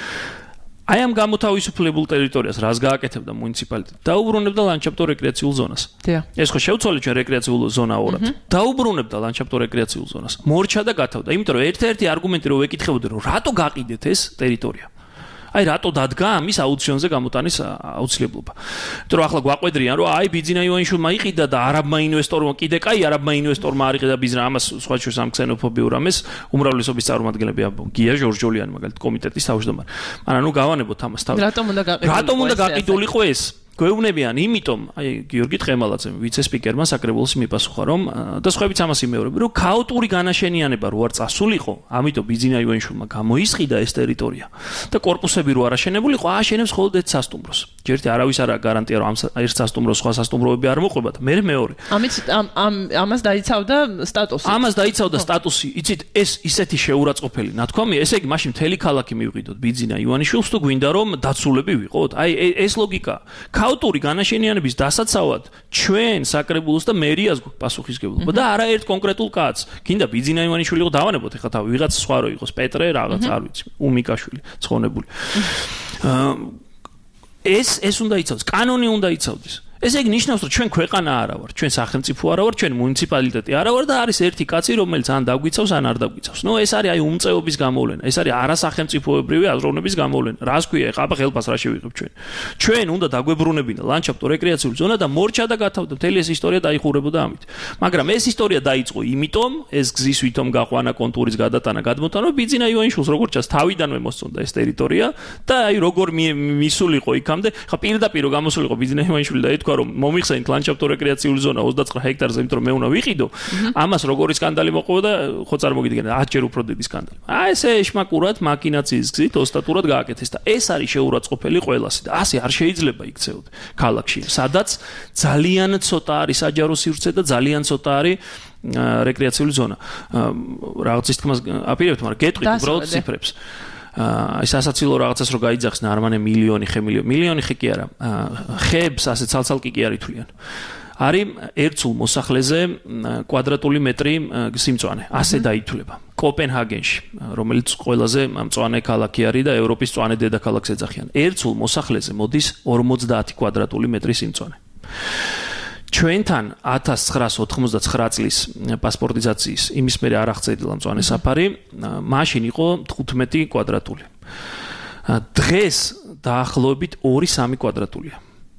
აი ამ გამოთავისუფლებულ ტერიტორიას რას გააკეთებდა მუნიციპალიტეტი? დაუბრუნებდა ლანდშაფტო რეკრეაციულ ზონას. ეს ხო შევცვალეთ ჩვენ რეკრეაციულ ზონა ორად. დაუბრუნებდა ლანდშაფტო რეკრეაციულ ზონას. მორჩა და გათავდა. იმიტომ რომ ერთ-ერთი არგუმენტი რომ ვეკითხებოდი რომ რატო გაყიდეთ ეს ტერიტორია? აი რატო დადგა ამის აუქციონზე გამოტანის აუცილებლობა. იმიტომ რომ ახლა გვაყვედრიან რომ აი ბიძინა ივანიშვილმა იყიდა და არაბმა ინვესტორმა კიდე კაი არაბმა ინვესტორმა არ იყიდა ბიზნესს ამას სხვა შორის ამ ქსენოფობიურ ამას უმრავლესობის წარმომადგენლები გია ჟორჟოლიანი მაგალითად კომიტეტის თავმჯდომარე. მაგრამ ნუ გავანებოთ ამას თავი. რატომ უნდა გაყიდულიყო რატომ უნდა გაყიდულიყო ეს? გვეუბნებიან იმიტომ, აი გიორგი თხემალაძემ ვიცე-სპიკერმა საკრებულოსი მიპასუხა, რომ და სხვაებიც ამას იმეორებენ, რომ ქაოტური განაშენიანება რო არ წასულიყო, ამიტომ ბიძინა ივანიშვილმა გამოისყიდა ეს ტერიტორია და კორპუსები რო არ აშენებულიყო, ააშენებს მხოლოდ ერთ სასტუმროს. ჯერთი არავის არ გარანტია, რომ ამ ერთ სასტუმროს სხვა სასტუმროები არ მოყვებათ, მე მეორე. ამით ამ ამას დაიცავდა სტატუსი. ამას დაიცავდა სტატუსი. იცით, ეს ისეთი შეურაცხყოფელი ნათქვამია, ესე იგი მაშინ მთელი ქალაქი მივყიდოთ ბიძინა ივანიშვილს თუ გვინდა რომ დაცულები ვიყოთ. აი ეს ლოგიკა ქაოტური განაშენიანების დასაცავად ჩვენ საკრებულოს და მერიას გვაქვს პასუხისმგებლობა და არა ერთ კონკრეტულ კაცს. გინდა ბიძინა ივანიშვილი იყო დავანებოთ ეხლა თავი ვიღაც სხვა რო იყოს პეტრე რაღაც არ ვიცი უმიკაშვილი ცხონებული. ეს ეს უნდა იცავდეს, კანონი უნდა იცავდეს. ესე იგი ნიშნავს რომ ჩვენ ქვეყანა არა ვარ, ჩვენ სახელმწიფო არა ვარ, ჩვენ მუნიციპალიტეტი არა ვარ და არის ერთი კაცი რომელიც ან დაგვიცავს ან არ დაგვიცავს. ნუ ეს არის აი უმწეობის გამოვლენა, ეს არის არასახელმწიფოებრივი აზროვნების გამოვლენა. რას ქვია ეხლა ხელფას რა შევიღებ ჩვენ? ჩვენ უნდა დაგვებრუნებინა ლანდშაფტო რეკრეაციული ზონა და მორჩა და გათავდა მთელი ეს ისტორია დაიხურებოდა ამით. მაგრამ ეს ისტორია დაიწყო იმიტომ, ეს გზის ვითომ გაყვანა კონტურის გადატანა გადმოტანა ბიძინა ივანიშვილს როგორც ჩანს თავიდანვე მოსწონდა ეს ტერიტორია და აი როგორ მისულიყო იქამდე, ხა პირდაპირ გამოსულიყო ბიძინა ივანიშვილი და ეთქვა რომ მომიხსენით ლანდშაფტო რეკრეაციული ზონა ოცდაცხრა ჰექტარზე, იმიტომ რომ მე უნდა ვიყიდო. ამას როგორი სკანდალი მოყვა და ხო წარმოგიდგენთ, ათჯერ უფრო დიდი სკანდალი. აი ესე ეშმაკურად მაკინაციის გზით ოსტატურად გააკეთეს და ეს არის შეურაცხყოფელი ყველასი და ასე არ შეიძლება იქცეოდ ქალაქში, სადაც ძალიან ცოტა არის საჯარო სივრცე და ძალიან ცოტა არის რეკრეაციული ზონა. რაღაცის თქმას აპირებთ, მაგრამ გეტყვით უბრალოდ ციფრებს. აი სასაცილო რაღაცას რო გაიძახს ნარმანე მილიონი ხე მილიონი მილიონი ხე კი არა ხებს ასე ცალცალკე კი არ ითვლიან არის ერთ სულ მოსახლეზე კვადრატული მეტრი სიმწვანე ასე დაითვლება კოპენჰაგენში რომელიც ყველაზე მწვანე ქალაქი არის და ევროპის მწვანე დედაქალაქს ეძახიან ერთ სულ მოსახლეზე მოდის ორმოცდაათი კვადრატული მეტრი სიმწვანე ჩვენთან ათას ცხრაას ოთხმოცდაცხრა წლის პასპორტიზაციის იმის მერე არ აღწევილა მწვანე საფარი, მაშინ იყო თხუთმეტი კვადრატული. დღეს დაახლოებით ორი სამი კვადრატულია.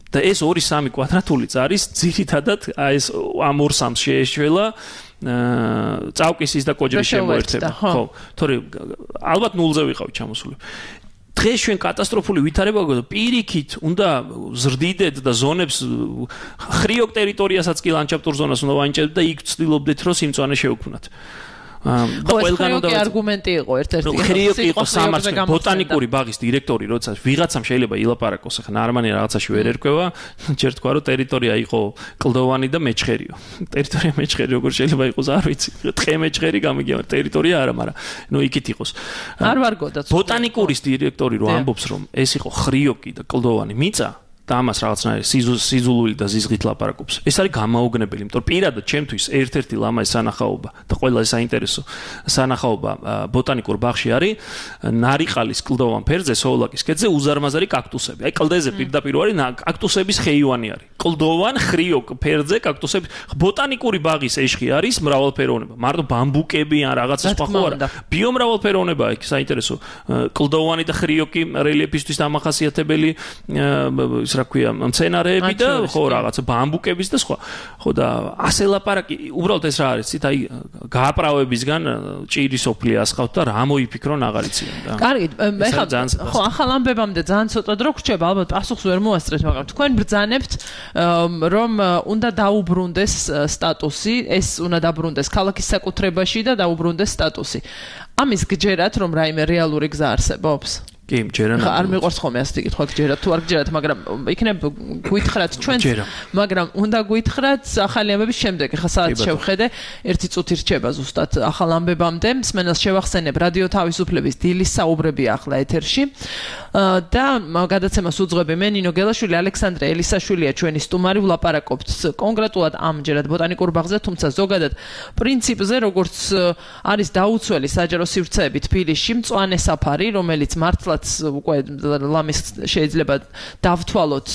და ეს ორი სამი კვადრატულიც არის ძირითადად ეს ამ ორ სამს შეეშველა წავკისის და კოჯრის შემოერთება. ხო, თორე ალბათ ნულზე ვიყავით ჩამოსული. დღეს ჩვენ კატასტროფული ვითარება გვაქვს და პირიქით უნდა ზრდიდეთ და ზონებს ხრიოკ ტერიტორიასაც კი ლანდშაფტურ ზონას უნდა ვანიჭებდეთ და იქ ვცდილობდეთ რომ სიმწვანე შევქმნათ. ყველგან უნდა არგუმენტი იყო ერთ-ერთი. ხრიოკი იყო სამართლე ბოტანიკური ბაღის დირექტორი, როცა ვიღაცამ შეიძლება ილაპარაკოს, ახლა ნარმანი რაღაცაში ვერ ერკვევა, ჯერ თქვა რომ ტერიტორია იყო კლდოვანი და მეჩხერიო. ტერიტორია მეჩხერი როგორ შეიძლება იყოს, არ ვიცი. თხე მეჩხერი გამიგია, ტერიტორია არა, მაგრამ ნუ იქით იყოს. არ ვარგოდა. ბოტანიკურის დირექტორი რო ამბობს რომ ეს იყო ხრიოკი და კლდოვანი მიწა და ამას რაღაცნაირი სიზულული და ზიზღით ლაპარაკობს. ეს არის გამაოგნებელი, იმიტომ რომ პირადად ჩემთვის ერთ-ერთი ლამაზი სანახაობა და ყველაზე საინტერესო სანახაობა ბოტანიკურ ბაღში არის ნარიყალის კლდოვან ფერზე სოვლაკის ქედზე უზარმაზარი კაქტუსები. აი კლდეზე პირდაპირ არის კაქტუსების ხეივანი არის. კლდოვან ხრიოკ ფერზე კაქტუსები. ბოტანიკური ბაღის ეშხი არის მრავალფეროვნება. მარტო ბამბუკები ან რაღაცა სხვა ხო არა. ბიომრავალფეროვნება იქ საინტერესო. კლდოვანი და ხრიოკი რელიეფისთვის დამახასიათებელი რა ქვია მცენარეები და ხო რაღაცა ბამბუკების და სხვა. ხო და ასე ლაპარაკი უბრალოდ ეს რა არის? ცით აი გააправებისგან ჭირის ოფლი ასხავთ და რა მოიფიქრონ აღარ იციან და. კარგი, ეხლა ხო ახალ ამბებამდე ძალიან ცოტა დრო გრჩება, ალბათ პასუხს ვერ მოასწრეთ, მაგრამ თქვენ ბრძანებთ რომ უნდა დაუბრუნდეს სტატუსი, ეს უნდა დაბრუნდეს ქალაქის საკუთრებაში და დაუბრუნდეს სტატუსი. ამის გჯერათ რომ რაიმე რეალური გზა არსებობს? კი, ჯერან არ მიყვარს ხოლმე ასე კითხვა გჯერათ თუ არ გჯერათ, მაგრამ იქნებ გვითხრათ ჩვენს, მაგრამ უნდა გვითხრათ ახალი ამბების შემდეგ. ახლა საათს შევხედე, ერთი წუთი რჩება ზუსტად ახალ ამბებამდე. მსმენელს შევახსენებ, რადიო თავისუფლების დილის საუბრები ახლა ეთერში და გადაცემას უძღვები მე ნინო გელაშვილი, ალექსანდრე ელისაშვილია ჩვენი სტუმარი. ვლაპარაკობთ კონკრეტულად ამჯერად ბოტანიკურ ბაღზე, თუმცა ზოგადად პრინციპზე, როგორც არის დაუცველი საჯარო სივრცეები თბილისში, მწვანე საფარი, რომელიც მართლა როდესაც უკვე ლამის შეიძლება დავთვალოთ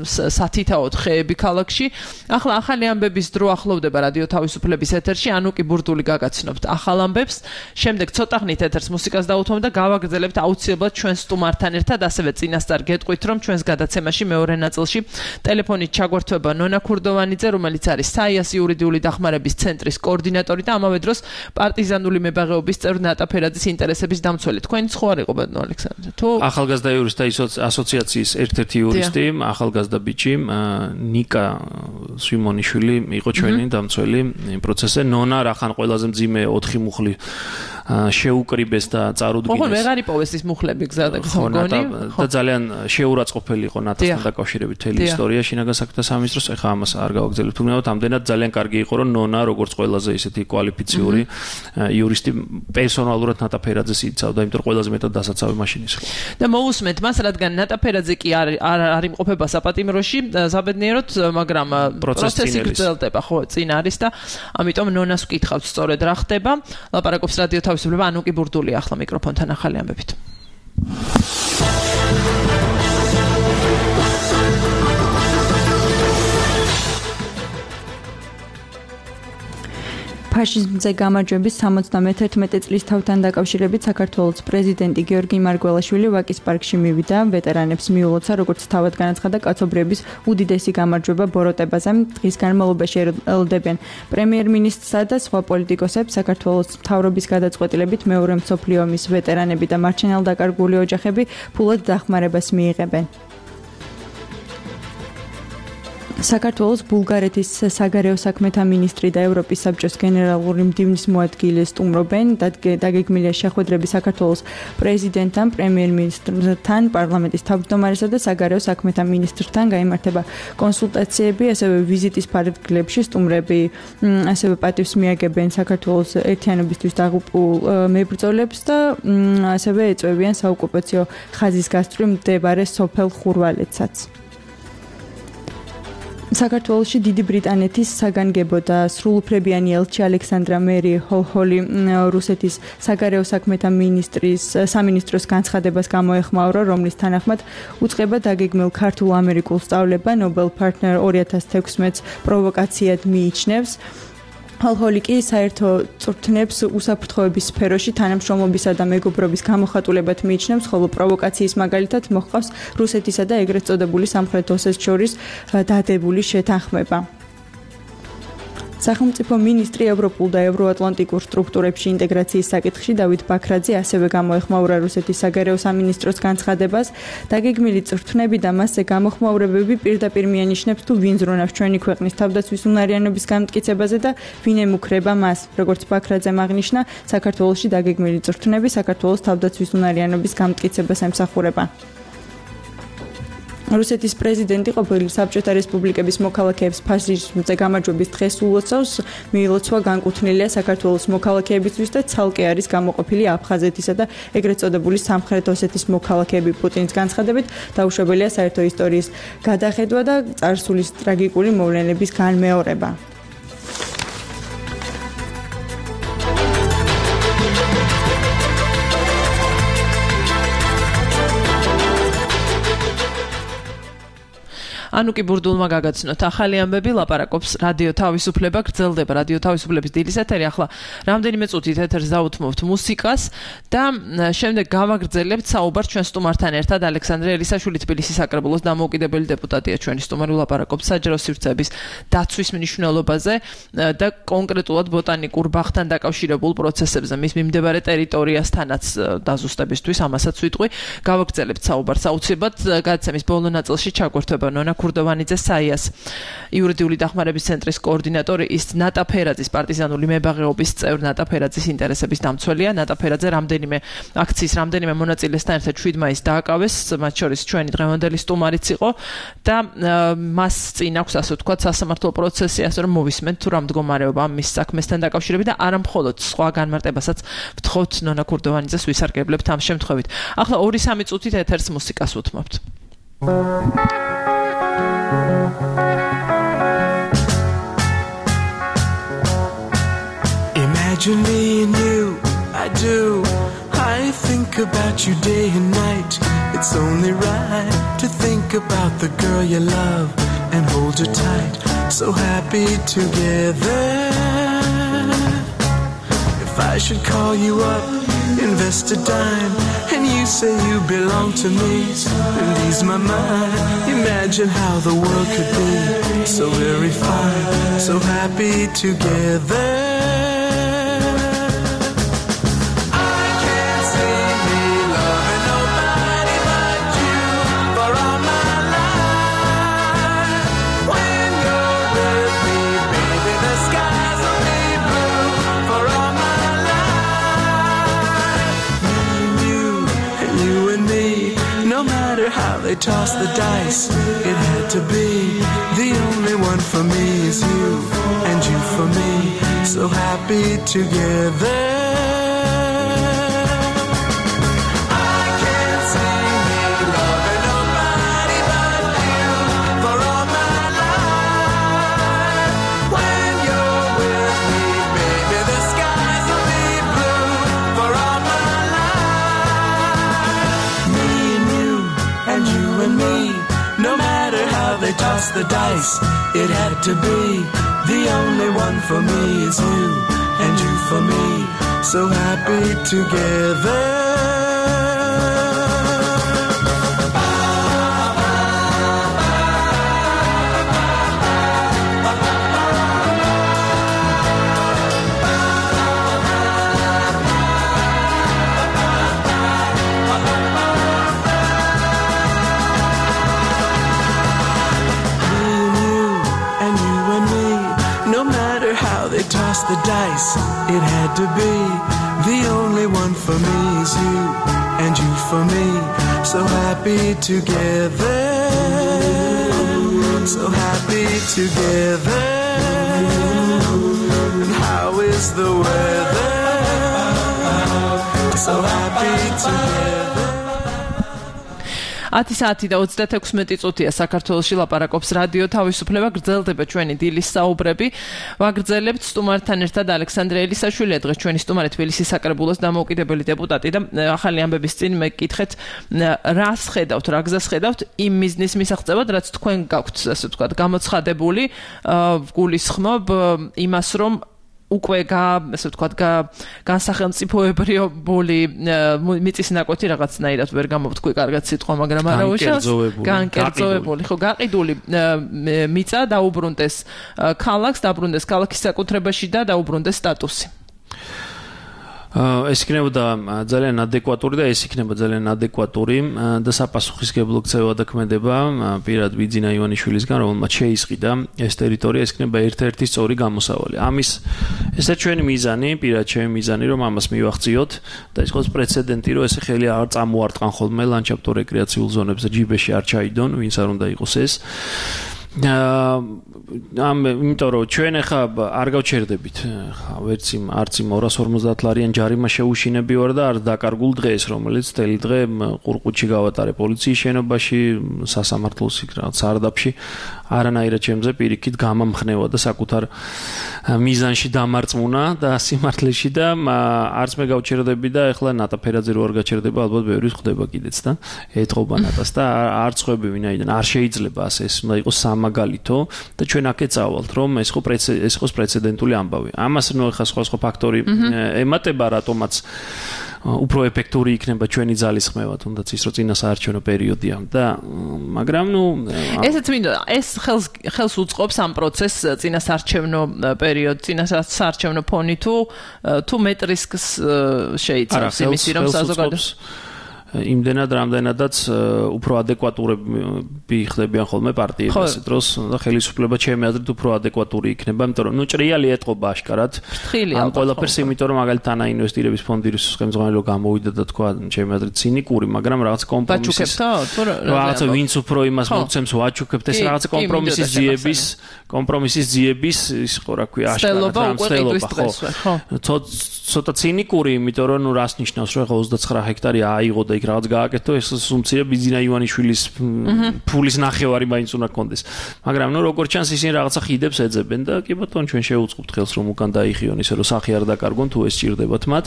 სათითაოდ ხეები ქალაქში. ახლა ახალი ამბების დრო ახლოვდება რადიო თავისუფლების ეთერში, ანუკი ბურდული გაგაცნობთ ახალ ამბებს. შემდეგ ცოტა ხნით ეთერს მუსიკას დაუთმობ და გავაგრძელებთ აუცილებლად ჩვენ სტუმართან ერთად, ასევე წინასწარ გეტყვით, რომ ჩვენს გადაცემაში მეორე ნაწილში ტელეფონით ჩაგვერთვება ნონა ქურდოვანიძე, რომელიც არის საიას იურიდიული დახმარების ცენტრის კოორდინატორი და ამავე დროს პარტიზანული მებაღეობის წევრ ნატა ფერაძის ინტერესების დამცველი. თქვენი ხო არ იყო ბატონო ალექსანდრე? თუ ახალგაზრდა იურისტთა ასოციაციის ერთ-ერთი იურისტი, ახალგაზრდა ბიჭი ნიკა სვიმონიშვილი იყო ჩვენი დამცველი იმ პროცესზე. ნონა რახან ყველაზე მძიმე ოთხი მუხლი შეუკრიბეს და წარუდგინეს. ხო, ვეღარ იპოვეს ის მუხლები გზადაგ ხონგონი და ძალიან შეურაცხყოფელი იყო ნატასთან დაკავშირებით მთელი ისტორია შინაგან საქმეთა სამინისტროს. ეხლა ამას არ გავაგზავნებთ. თუმცა ამდენად ძალიან კარგი იყო, რომ ნონა როგორც ყველაზე ისეთი კვალიფიციური იურისტი პერსონალურად ნატა ფერაძეს იცავდა, იმიტომ რომ ყველაზე მეტად დასაცავი მაშინ ის იყო. და მოусმენთ მას, რადგან ნატა ფერაძე კი არ არ იმყოფება საპატიმროში, საბედნიეროდ, მაგრამ პროცესი გრძელდება, ხო, წინ არის და ამიტომ ნონას ვკითხავთ სწორედ რა ხდება. ლაპარაკობს რადიო თავისუფლება, ანუკი ბურდული ახლა მიკროფონთან ახალი ამბებით. ფაშიზმზე გამარჯვების სამოცდამეთერთმეტე წლის თავთან დაკავშირებით საქართველოს პრეზიდენტი გიორგი მარგველაშვილი ვაკის პარკში მივიდა. ვეტერანებს მიულოცა, როგორც თავად განაცხადა, კაცობრიობის უდიდესი გამარჯვება ბოროტებაზე. დღის განმავლობაში ელოდებიან პრემიერ-მინისტრსა და სხვა პოლიტიკოსებს. საქართველოს მთავრობის გადაწყვეტილებით მეორე მსოფლიო ომის ვეტერანები და მარჩენალდაკარგული ოჯახები ფულად დახმარებას მიიღებენ. საქართველოს ბულგარეთის საგარეო საქმეთა მინისტრი და ევროპის საბჭოს გენერალური მდივნის მოადგილე სტუმრობენ. დაგეგმილია შეხვედრები საქართველოს პრეზიდენტთან, პრემიერ-მინისტრთან, პარლამენტის თავმჯდომარესა და საგარეო საქმეთა მინისტრთან. გაიმართება კონსულტაციები, ასევე ვიზიტის ფარგლებში სტუმრები ასევე პატივს მიაგებენ საქართველოს ერთიანობისთვის დაღუპულ მებრძოლებს და ასევე ეწევიან საოკუპაციო ხაზის გასწვრივ მდებარე სოფელ ხურვალეთსაც. საქართველოში დიდი ბრიტანეთის საგანგებო და სრულუფლებიანი ელჩი ალექსანდრა მერი ჰოლჰოლი რუსეთის საგარეო საქმეთა მინისტრის სამინისტროს განცხადებას გამოეხმაურა, რომლის თანახმად უწყება დაგეგმილ ქართულ-ამერიკულ სწავლება Nobel Partner ორი ათას თექვსმეტს პროვოკაციად მიიჩნევს. ჰოლჰოლი კი საერთო წვრთნებს უსაფრთხოების სფეროში თანამშრომლობისა და მეგობრობის გამოხატულებად მიიჩნევს, ხოლო პროვოკაციის მაგალითად მოჰყავს რუსეთისა და ეგრეთ წოდებული სამხრეთ ოსეთის შორის დადებული შეთანხმება. სახელმწიფო მინისტრი ევროპულ და ევროატლანტიკურ სტრუქტურებში ინტეგრაციის საკითხში დავით ბაქრაძე ასევე გამოეხმაურა რუსეთის საგარეო სამინისტროს განცხადებას. დაგეგმილი წვრთნები და მასზე გამოხმაურებები პირდაპირ მიანიშნებს თუ ვინ ზრუნავს ჩვენი ქვეყნის თავდაცვის უნარიანობის განმტკიცებაზე და ვინ ემუქრება მას. როგორც ბაქრაძემ აღნიშნა, საქართველოში დაგეგმილი წვრთნები საქართველოს თავდაცვის უნარიანობის განმტკიცებას ემსახურება. რუსეთის პრეზიდენტი ყოფილი საბჭოთა რესპუბლიკების მოქალაქეებს ფაშიზმზე გამარჯვების დღეს ულოცავს. მიილოცვა განკუთვნილია საქართველოს მოქალაქეებისთვის და ცალკე არის გამოყოფილი აფხაზეთისა და ეგრეთ წოდებული სამხრეთ ოსეთის მოქალაქეები. პუტინის განცხადებით დაუშვებელია საერთო ისტორიის გადახედვა და წარსულის ტრაგიკული მოვლენების განმეორება. ანუკი ბურდულმა გაგაცნოთ ახალი ამბები, ლაპარაკობს რადიო თავისუფლება, გრძელდება რადიო თავისუფლების დილის ეთერი. ახლა რამდენიმე წუთით ეთერს დავუთმობთ მუსიკას და შემდეგ გავაგრძელებთ საუბარს ჩვენ სტუმართან ერთად. ალექსანდრე ელისაშვილი თბილისის საკრებულოს დამოუკიდებელი დეპუტატია ჩვენი სტუმარი, ლაპარაკობს საჯარო სივრცეების დაცვის მნიშვნელობაზე და კონკრეტულად ბოტანიკურ ბაღთან დაკავშირებულ პროცესებზე, მის მიმდებარე ტერიტორიასთანაც დაზუსტებისთვის, ამასაც ვიტყვი. გავაგრძელებთ საუბარს აუცილებლად. გადაცემის ბოლო ნაწილში ჩაგვერთვება ნონა ქურდოვანიძე, საიას იურიდიული დახმარების ცენტრის კოორდინატორი, ის ნატა ფერაძის პარტიზანული მებაღეობის წევრ ნატა ფერაძის ინტერესების დამცველია. ნატა ფერაძე რამდენიმე აქციის რამდენიმე მონაწილესთან ერთად შვიდ მაისს დააკავეს, მათ შორის ჩვენი დღევანდელი სტუმარიც იყო და მას წინ აქვს, ასე ვთქვათ, სასამართლო პროცესი, ასე რომ მოვისმენთ თუ რა მდგომარეობა მის საქმესთან დაკავშირებით და არა მხოლოდ სხვა განმარტებასაც ვთხოვთ ნონა ქურდოვანიძეს ვისარგებლებთ ამ შემთხვევით. ახლა ორი სამი წუთით ეთერს მუსიკას უთმობთ. Imagine me and you, I do. I think think about you day and night. It's only right to think about the girl you love and hold her tight. So happy together. If I should call you up, invest a dime, and you say you belong to me and ease my mind. Imagine how the world could be so very fine, so happy together. They tossed the dice, it had to be. The only one for me is you, and you for me, so happy together. I can't see me loving nobody but you for all my life. When you're with me, baby, the skies will be blue for all my life. Me and you and you and me, no matter how they toss the dice, it had to be. The only one for me is you, and you for me, so happy together. Toss the dice, it had to be. The only one for me is you, and you for me, so happy together, so happy together. And how is the weather? So happy together. ათი საათი და ოცდაექვსი წუთია საქართველოში ლაპარაკობს რადიო თავისუფლება, გრძელდება ჩვენი დილის საუბრები. ვაგრძელებთ სტუმართან ერთად ალექსანდრე ელისაშვილი, დღეს ჩვენი სტუმარი თბილისის საკრებულოს დამოუკიდებელი დეპუტატი და ახალი ამბების წინ მეკითხეთ რას ხედავთ, რა გზას ხედავთ იმ მიზნის მისაღწევად, რაც თქვენ გაქვთ, ასე ვთქვათ, გამოცხადებული, გულისხმობ იმას, რომ უკვე ასე ვთქვათ, განსახელმწიფოებრივი მიწის ნაკვეთი რაღაცნაირად ვერ გამოვთქვი კარგად სიტყვა, მაგრამ არა უშავს განკერძოებული, ხო, გაყიდული მიწა დაუბრუნდეს ქალაქს, დაუბრუნდეს ქალაქის საკუთრებაში და დაუბრუნდეს სტატუსი. ეს იქნებოდა ძალიან ადეკვატური და ეს იქნება ძალიან ადეკვატური და საპასუხისმგებლო ქცევა და ქმედება პირად ბიძინა ივანიშვილისგან, რომელმაც შეისყიდა ეს ტერიტორია, ეს იქნება ერთ-ერთი სწორი გამოსავალი. ამის ესა ჩვენი მიზანი, პირად ჩემი მიზანი, რომ ამას მივახციოთ და ეს იყოს პრეცედენტი, რომ ესე ხელი არ წამოარტყან ხოლმე ლანდშაფტო რეკრეაციულ ზონებს და ჯიბეში არ ჩაიდონ, ვინც არ უნდა იყოს ეს. ამ იმიტომ რომ ჩვენ ახლა არ გავჩერდებით ხა ვერც იმ არც იმ ორას ორმოცდაათ ლარიან ჯარიმა შეუშინები ვარ და არ დაკარგულ დღეს, რომელიც თელი დღე ყურყუთში გავატარე პოლიციის შენობაში, სასამართლოს იქ რაღაც სარდაფში, არანაირად ჩემზე პირიქით გამამხნევა და საკუთარ მიზანში დამარწმუნა და სიმართლეში და არც მე გავჩერდები და ახლა ნატა ფერაძე რო არ გაჩერდება, ალბათ ბევრი ხდება კიდეც და ეთყობა ნატას და არ წხვები ვინაიდან არ შეიძლება ასე ეს უნდა იყოს სამაგალითო და ჩვენ აქ ეწავალთ რომ ეს ხო ეს ხოს პრეცედენტული ამბავი. ამას ნუ ახლა სხვა სხვა ფაქტორი ემატება, რატომაც უფრო ეფექტური იქნება ჩვენი ძალისხმევა, თუნდაც ის რომ წინასაარჩევნო პერიოდია და მაგრამ ნუ ესეც მინდა ეს ხელს ხელს უწყობს ამ პროცესს წინასაარჩევნო პერიოდ, წინასაარჩევნო ფონი თუ თუ მეტრისკს შეიცავს იმისი რომ საზოგადოებას იმდენად რამდენადაც უფრო ადეკვატურები ხდებიან ხოლმე პარტიები ასე დროს და ხელისუფლება ჩემი აზრით უფრო ადეკვატური იქნება, იმიტომ რომ ნუ ჭრიალი ეტყობა აშკარად ამ ყველაფერს, იმიტომ რომ მაგალითად ანა ინვესტირების ფონდის ხელმძღვანელო გამოვიდა და თქვა ჩემი აზრით ცინიკური, მაგრამ რაღაც კომპრომისის რაღაცა ვინც უფრო იმას მოგცემს ვაჩუქებთ, ეს რაღაცა კომპრომისის ძიების კომპრომისის ძიების ის ხო რა ქვია აშკარად რამცდელობა, ხო ცოტა ცინიკური, იმიტომ რომ ნუ რას ნიშნავს, რომ ოცდაცხრა ჰექტარი აიღო და იქ რაღაც გააკეთო, ეს სუმცირე ბიზინა ივანიშვილის ფულის ნახევარი მაინც უნდა კონდეს. მაგრამ ნუ როგორც ჩანს ისინი რაღაცა ხიდებს ეძებენ და კი ბატონო ჩვენ შევუწყობთ ხელს რომ უკან დაიხიონ ისე რომ სახი არ დაკარგონ თუ ეს ჭირდებათ მათ.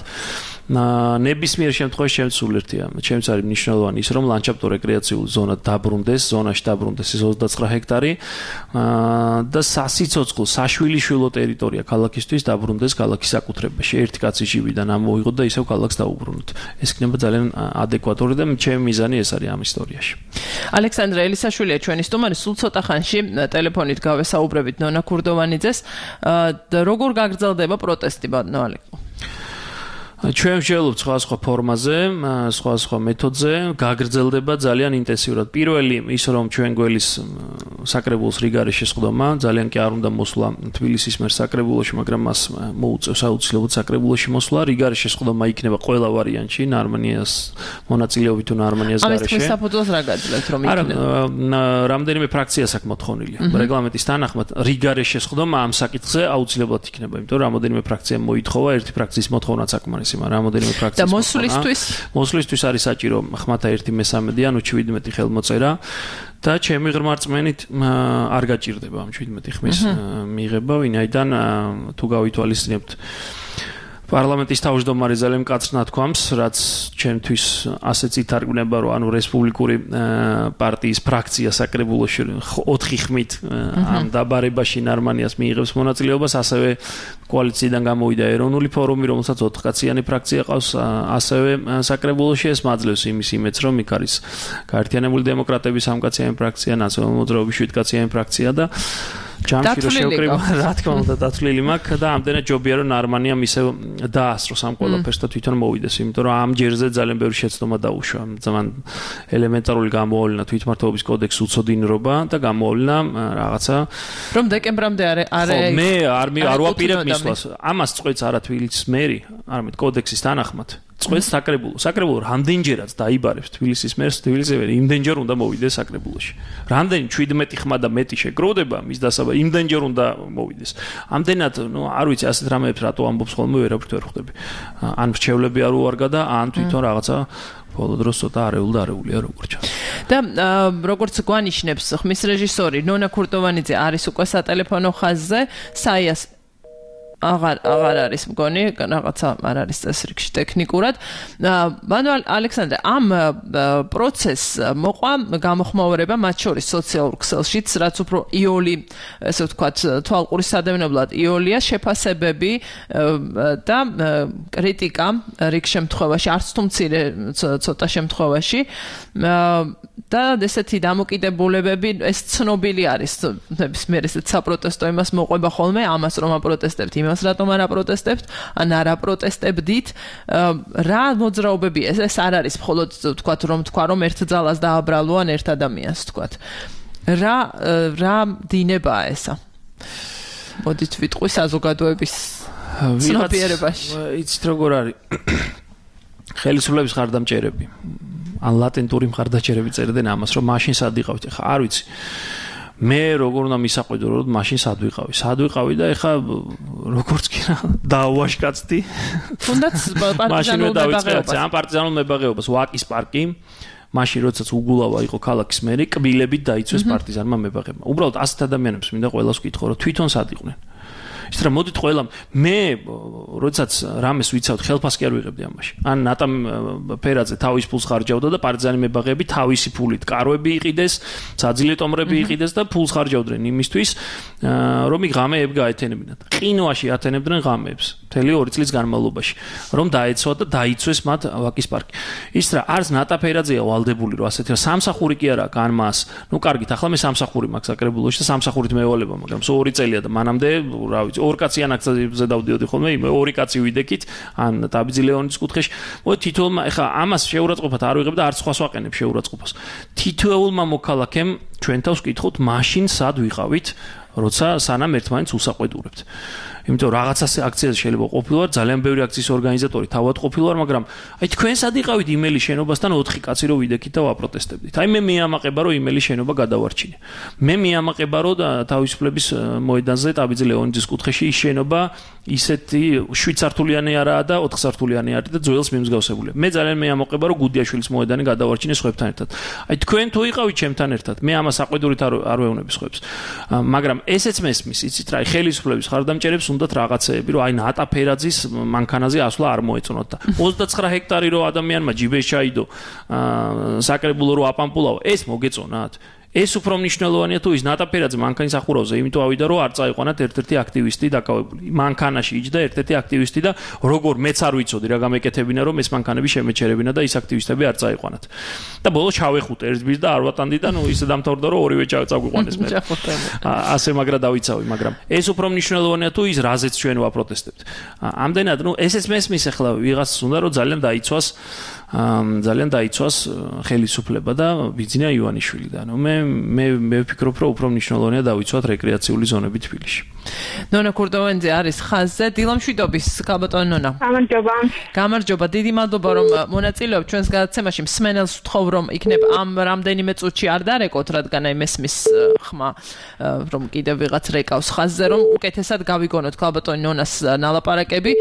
ნებისმიერ შემთხვევაში ჩემს სულ ერთია. ჩემს არის მნიშვნელოვანი ის რომ ლანდშაფტო რეკრეაციული ზონა დაბრუნდეს, ზონაში დაბრუნდეს ეს ოცდაცხრა ჰექტარი და სასიცოცხლო, საშვილიშვილო ტერიტორია ქალაქისთვის დაბრუნდეს ქალაქის საკუთრებაში. ერთი კაცი ჟივიდან ამოიღოთ და ისევ ქალაქს დაუბრუნოთ. ეს იქნება ძალიან ადეკვატური და ჩემი მიზანი ეს არის ამ ისტორიაში. ალექსანდრე ელისაშვილია ჩვენი სტუმარი, სულ ცოტა ხანში ტელეფონით გავესაუბრებით ნონა ქურდოვანიძეს. როგორ გაგრძელდება პროტესტი ბატონო ალეკო? ჩვენ ვშევლობთ სხვა-სხვა ფორმაზე, სხვა-სხვა მეთოდზე, გაგრძელდება ძალიან ინტენსიურად. პირველი ის რომ ჩვენ გველის საკრებულოს რიგარის შესყდომა, ძალიან კი არ უნდა მოსვლა თბილისის მერ საკრებულოში, მაგრამ მას მოუწევს აუცილებლად საკრებულოში მოსვლა. რიგარის შესყდომა იქნება ყველა ვარიანტში, ნარმანიას მონაწილეობით თუ ნარმანიას გარეშე. ამის თქვენ საფუძველს რა გაძლევთ რომ იქნება? არა, რამდენიმე ფრაქციას აქვს მოთხოვნილი. რეგლამენტის თანახმად რიგარის შესყდომა ამ საკითხზე აუცილებლად იქნება, იმიტომ რომ რამოდენიმე ფრაქცია მოითხოვა, ერთი ფრაქციის მოთხოვნაც აკმარეს. რამოდენიმე ფრაქციის და მოსვლისთვის მოსვლისთვის არის საჭირო ხმათა ერთი მესამედი ანუ შვიდმეტი ხელმოწერა და ჩემი ღრმა რწმენით არ გაჭირდება ამ შვიდმეტი ხმის მიღება, ვინაიდან თუ გავითვალისწინებთ პარლამენტის თავმჯდომარე ძალიან მკაცრ ნათქვამს, რაც ჩემთვის ასეც ითარგმნება, რომ ანუ რესპუბლიკური პარტიის ფრაქცია საკრებულოში ოთხი ხმით ამ დაბარებაში ნარმანიას მიიღებს მონაწილეობას, ასევე კოალიციიდან გამოვიდა ეროვნული ფორუმი, რომელსაც ოთხკაციანი ფრაქცია ყავს, ასევე საკრებულოში ეს მაძლევს იმის იმედს, რომ იქ არის გაერთიანებული დემოკრატების სამკაციანი ფრაქცია, ნაციონალური მოძრაობის შვიდკაციანი ფრაქცია და ჯამში რო შევკრიბა, რა თქმა უნდა, დათვლილი მაქვს და ამდენად ჯობია რომ ნარმანიამ ისე დაასწროს ამ ყველაფერს და თვითონ მოვიდეს, იმიტომ რომ ამ ჯერზე ძალიან ბევრი შეცდომა დაუშვა. ძალიან ელემენტარული გამოავლინა თვითმმართველობის კოდექსის უცოდინრობა და გამოავლინა რაღაცა რომ დეკემბრამდე არ არ მე არ არ ვაპირებ მისვლას. ამას წყვეტს არა თბილისის მერი, არამედ კოდექსის თანახმად. წყვეტს საკრებულო. საკრებულო რამდენჯერაც დაიბარებს თბილისის მერს, თბილისი იმდენჯერ უნდა მოვიდეს საკრებულოში. რამდენი შვიდმეტი ხმა და მეტი შეგროვდება მის დასაბა, იმდენჯერ უნდა მოვიდეს. ამდენად, ნუ არ ვიცი, ასეთ რამეებს რატო ამბობს ხოლმე ვერაფრით ვერ ხვდები. ან რჩევლები არ უარგა და ან თვითონ რაღაცა ბოლო დროს ცოტა არეულ და არეულია როგორც ჩანს. და როგორც გვანიშნებს ხმის რეჟისორი ნონა ქურდოვანიძე არის უკვე სატელეფონო ხაზზე, საიას აღარ აღარ არის მგონი, რაღაცა არ არის წესრიგში ტექნიკურად. ბანო ალექსანდრე, ამ პროცესს მოყვა გამოხმაურება მათ შორის სოციალურ ქსელშიც, რაც უფრო იოლი, ესე ვთქვათ, თვალყური სადევნებლად იოლია, შეფასებები და კრიტიკა რიგ შემთხვევაში, არც თუ მცირე ცოტა შემთხვევაში და ესეთი დამოკიდებულებები, ეს ცნობილი არის, ნებისმიერ ესეთ საპროტესტო იმას მოყვება ხოლმე, ამას რომ აპროტესტებთ, იმას რატომ არ აპროტესტებთ, ან არ აპროტესტებდით, რა მოძრაობები ეს ეს არ არის მხოლოდ ვთქვათ რომ თქვა რომ ერთ ძალას დააბრალო ან ერთ ადამიანს ვთქვათ. რა რა დინებაა ესა? მოდით ვიტყვი საზოგადოების ცნობიერებაში. იცით როგორ არის? ხელისუფლების ხარდამჭერები ან ლატენტური მხარდაჭერები წერდნენ ამას, რომ მაშინ სად იყავით? ეხა არ ვიცი. მე როგორ უნდა მისაყვედო, რომ მაშინ სად ვიყავი? სად ვიყავი და ეხა როგორც კი რა დაუაშკაცდი. თუნდაც პარტიზანულ მებაღეობას. ამ პარტიზანულ მებაღეობას ვაკის პარკი მაშინ როდესაც უგულავა იყო ქალაქის მერი, კბილებით დაიცვეს პარტიზანმა მებაღებმა. უბრალოდ ასეთ ადამიანებს მინდა ყველას ვკითხო, რომ თვითონ სად იყვნენ. ის რა მოდით ყველამ მე როდესაც რამეს ვიცავთ ხელფას კი არ ვიღებდი ამაში. ან ნატა ფერაძე თავის ფულს ხარჯავდა და პარტიზანი მებაღეები თავისი ფულით კარვები იყიდეს, საძილეთომრები იყიდეს და ფულს ხარჯავდნენ იმისთვის, რომ იქ ღამეები გაეთენებინათ. ყინვაში ათენებდნენ ღამეებს მთელი ორი წლის განმავლობაში, რომ დაეცვა და დაიცვეს მათ ვაკის პარკი. ის რა არც ნატა ფერაძეა ვალდებული, რომ ასეთი რა სამსახური კი არა კან მას. ნუ კარგით, ახლა მე სამსახური მაქვს საკრებულოში და სამსახურით მევალება, მაგრამ სულ ორი წელია და მანამდე რა ვიცი ორ კაციან აქციებზე დავდიოდი ხოლმე, იმ ორი კაცი ვიდექით, ან დაბიძი ლეონის კუთხეში. მოდი თითოეულმა, ეხა ამას შეურაცხყოფათ არ ვიღებ და არც სხვას ვაყენებ შეურაცხყოფას. თითოეულმა მოქალაქემ ჩვენ თავს ვკითხოთ, მაშინ სად ვიყავით, როცა სანამ ერთმანეთს უსაყვედურებთ. იმიტომ რაღაცა აქციაზე შეიძლება ყოფილვარ, ძალიან ბევრი აქციის ორგანიზატორი თავად ყოფილვარ, მაგრამ აი თქვენ სად იყავით იმელის შენობასთან ოთხი კაცი რო ვიდექით და ვაპროტესტებდით. აი მე მეამაყება რომ იმელის შენობა გადავარჩინე. მე მეამაყება რომ თავისუფლების მოედანზე ტაბიძე ლეონიძის კუთხეში ის შენობა ისეთი შვიდ სართულიანი არაა და ოთხ სართულიანი არის და ძველს მიმსგავსებულია. მე ძალიან მეამაყება რომ გუდიაშვილის მოედანი გადავარჩინე სხვებთან ერთად. აი თქვენ თუ იყავით ჩემთან ერთად, მე ამას საყვედურით არ არ ვეუბნები სხვებს. მაგრამ ესეც მესმის, იცით რა, ხელისუფლების ხარდამჭერებს უნდათ რაღაცეები, რომ აი ნატა ფერაძის მანქანაზე ასვლა არ მოეწონოთ და ოცდაცხრა ჰექტარი რო ადამიანმა ჯიბეს ჩაიდო, საკრებულო რო აპამპულაო, ეს მოგეწონათ. ეს უფრო მნიშვნელოვანია თუ ის ნატა ფერაძე მანქანის ახურავზე, იმიტომ ავიდა რომ არ წაიყვანათ ერთ-ერთი აქტივისტი დაკავებული. მანქანაში იჯდა ერთ-ერთი აქტივისტი და როგორ მეც არ ვიცოდი რა გამეკეთებინა რომ ეს მანქანები შემეჩერებინა და ის აქტივისტები არ წაიყვანათ. და ბოლოს ჩავეხუტე ერთბირს და არ ვატანდი და ნუ ისე დამთავრდა რომ ორივე წაგვიყვანეს მე. ასე მაგრა დავიცავი, მაგრამ ეს უფრო მნიშვნელოვანია თუ ის რაზეც ჩვენ ვაპროტესტებთ. ამდენად ნუ ესეც მესმის ახლა ვიღაცას უნდა რომ ძალიან დაიცვას ძალიან დაიცვას ხელისუფლება და ბიძინა ივანიშვილი და ნუ მე მე მე ვფიქრობ რომ უფრო მნიშვნელოვანია დავიცვათ რეკრეაციული ზონები თბილისში. ნონა კურდოვენძე არის ხაზზე. დილამშვიდობის ქალბატონი ნონა. გამარჯობა. გამარჯობა. დიდი მადლობა რომ მონაწილეობთ ჩვენს გადაცემაში. მსმენელს ვთხოვ რომ იქნებ ამ რამდენიმე წუთში არ დარეკოთ, რადგან აი მესმის ხმა რომ კიდევ ვიღაც რეკავს ხაზზე, რომ უკეთესად გავიგონოთ ქალბატონი ნონას ნალაპარაკები.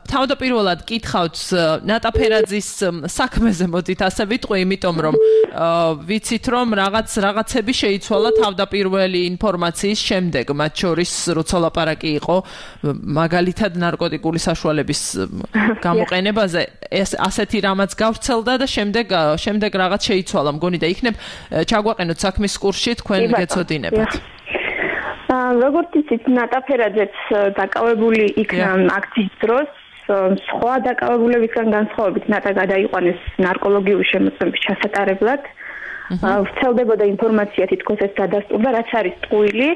თავდაპირველად კითხავთ ნატა ფერაძის საქმეზე მოდით ასე ვიტყვი, იმიტომ რომ ვიცით რომ რაღაც რაღაცები შეიცვალა თავდაპირველი ინფორმაციის შემდეგ, მათ შორის როცა ლაპარაკი იყო მაგალითად ნარკოტიკული საშუალების გამოყენებაზე, ეს ასეთი რამაც გავრცელდა და შემდეგ შემდეგ რაღაც შეიცვალა, მგონი და იქნებ ჩაგვაყენოთ საქმის კურსში თქვენ გეცოდინებათ. როგორც იცით, ნატა ფერაძეც დაკავებული იქნა აქციის დროს, სხვა დაკავებულებისგან განსხვავებით ნატა გადაიყვანეს ნარკოლოგიური შემოწმების ჩასატარებლად. ვრცელდებოდა ინფორმაცია თითქოს ეს დადასტურდა, რაც არის ტყუილი.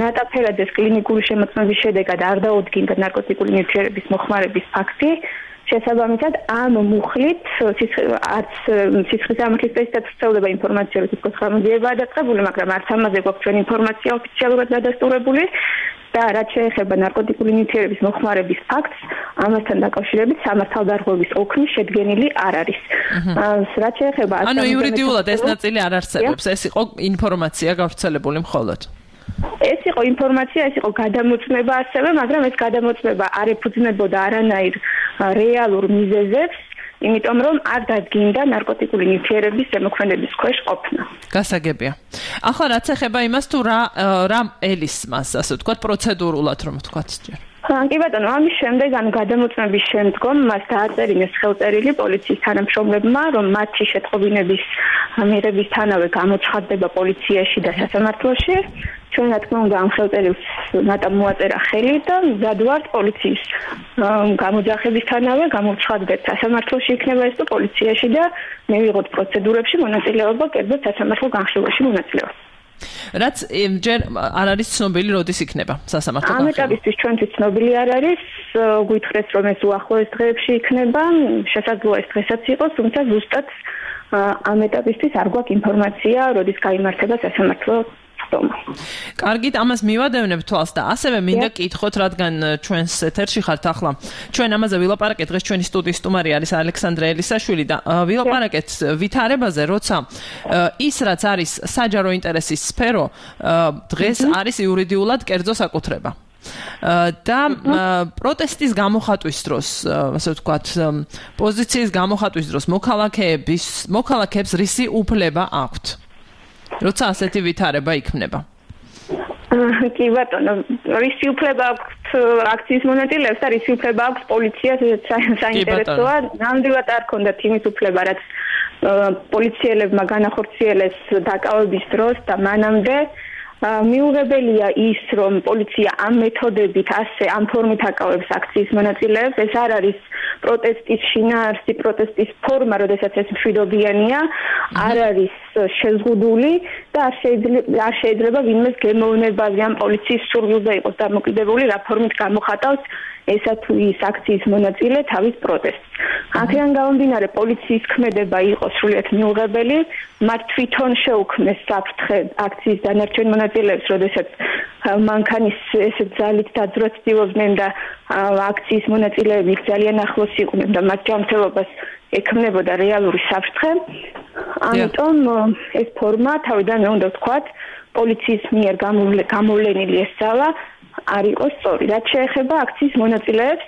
ნატა ფერაძეს კლინიკური შემოწმების შედეგად არ დაუდგინდა ნარკოტიკული ნივთიერების მოხმარების ფაქტი. შესაბამისად, ამ მუხლით არც სიცხის სამართლის სპეციალისტად ვრცელდება ინფორმაცია, რომ თითქოს ხამძიებაა დაწყებული, მაგრამ არც ამაზე გვაქვს ჩვენ ინფორმაცია ოფიციალურად დადასტურებული. და რაც შეეხება ნარკოტიკული ნივთიერების მოხმარების ფაქტს, ამასთან დაკავშირებით სამართალდარღვევის ოქმი შედგენილი არ არის. რაც შეეხება ანუ იურიდიულად ეს ნაწილი არ არსებობს, ეს იყო ინფორმაცია გავრცელებული მხოლოდ. ეს იყო ინფორმაცია, ეს იყო გადამოწმება ასევე, მაგრამ ეს გადამოწმება არ ეფუძნებოდა არანაირ რეალურ მიზეზებს, იმიტომ რომ არ დადგინდა ნარკოტიკული ნივთიერების ზემოქმედების ქვეშ ყოფნა. გასაგებია. ახლა რაც ეხება იმას თუ რა რა ელისმას, ასე ვთქვათ, პროცედურულად რომ ვთქვათ ჯერ. კი ბატონო, ამის შემდეგ, ანუ გადამოწმების შემდგომ მას დააწერინეს ხელწერილი პოლიციის თანამშრომლებმა, რომ მათი შეტყობინების მიღებისთანავე გამოცხადდება პოლიციაში და სასამართლოში. ჩვენ რა თქმა უნდა ამ ხელწერილს ნატამ მოაწერა ხელი და მზად ვართ პოლიციის გამოძახებისთანავე გამოცხადდეთ სასამართლოში იქნება ეს თუ პოლიციაში და მივიღოთ პროცედურებში მონაწილეობა, კერძოდ სასამართლო განხილვაში მონაწილეობა. რაც ჯერ არ არის ცნობილი როდის იქნება სასამართლო განხილვა. ამ ეტაპისთვის ჩვენთვის ცნობილი არ არის, გვითხრეს რომ ეს უახლოეს დღეებში იქნება, შესაძლოა ეს დღესაც იყოს, თუმცა ზუსტად ამ ეტაპისთვის არ გვაქვს ინფორმაცია, როდის გაიმართება სასამართლო კარგით, ამას მივადევნებ თვალს და ასევე მინდა კითხოთ, რადგან ჩვენს ეთერში ხართ ახლა. ჩვენ ამაზე ვილაპარაკეთ, დღეს ჩვენი სტუდიის სტუმარი არის ალექსანდრე ელისაშვილი და ვილაპარაკეთ ვითარებაზე, როცა ის რაც არის საჯარო ინტერესის სფერო, დღეს არის იურიდიულად კერძო საკუთრება. და პროტესტის გამოხატვის დროს, ასე ვთქვათ, პოზიციის გამოხატვის დროს მოქალაქეების მოქალაქეებს რისი უფლება აქვთ? როცა ასეთი ვითარება იქმნება. კი ბატონო, რისი უფლება აქვთ აქციის მონაწილეებს და რისი უფლება აქვთ პოლიციას, საინტერესოა, ნამდვილად არ ქონდათ იმის უფლება, რაც პოლიციელებმა განახორციელეს დაკავების დროს და მანამდე. მიუღებელია ის, რომ პოლიცია ამ მეთოდებით, ასე ამ ფორმით აკავებს აქციის მონაწილეებს, ეს არ არის პროტესტის შინაარსი, პროტესტის ფორმა, როდესაც ეს მშვიდობიანია, არ არის შეზღუდული და არ შეიძლება არ შეიძლება ვინმეს გემოვნებაზე ამ პოლიციის სურვილზე იყოს დამოკიდებული, რა ფორმით გამოხატავს ესა თუ ის აქციის მონაწილე თავის პროტესტს. აქედან გამომდინარე პოლიციის ქმედება იყო სრულიად მიუღებელი, მათ თვითონ შეუქმნეს საფრთხე აქციის დანარჩენ მონაწილეებს, როდესაც მანქანის ესეთ ძალით დაძვრას ცდილობდნენ და აქციის მონაწილეები ძალიან ახლოს იყვნენ და მათ ჯანმრთელობას ექმნებოდა რეალური საფრთხე. ამიტომ ეს ფორმა თავიდანვე უნდა ვთქვათ, პოლიციის მიერ გამოვლენილი ეს ძალა არ იყოს სწორი. რაც შეეხება აქციის მონაწილეებს,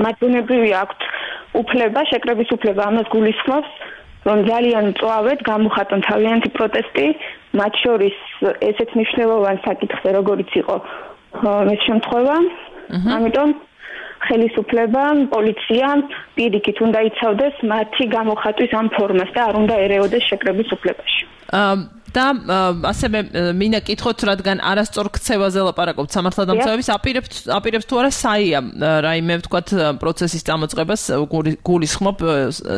მათ ბუნებრივი აქვთ უფლება, შეკრების უფლება, ამას გულისხმობს, რომ ძალიან მწვავედ გამოხატონ თავიანთი პროტესტი, მათ შორის ესეთ მნიშვნელოვან საკითხზე, როგორიც იყო ეს შემთხვევა. ამიტომ ხელისუფლება, პოლიცია პირიქით უნდა იცავდეს მათი გამოხატვის ამ ფორმას და არ უნდა ერეოდეს შეკრების უფლებაში. და ასევე მინდა კითხოთ, რადგან არასწორ ქცევაზე ლაპარაკობთ სამართალდამცავების, აპირებთ აპირებს თუ არა საია რაიმე ვთქვათ პროცესის წამოწყებას გულისხმობ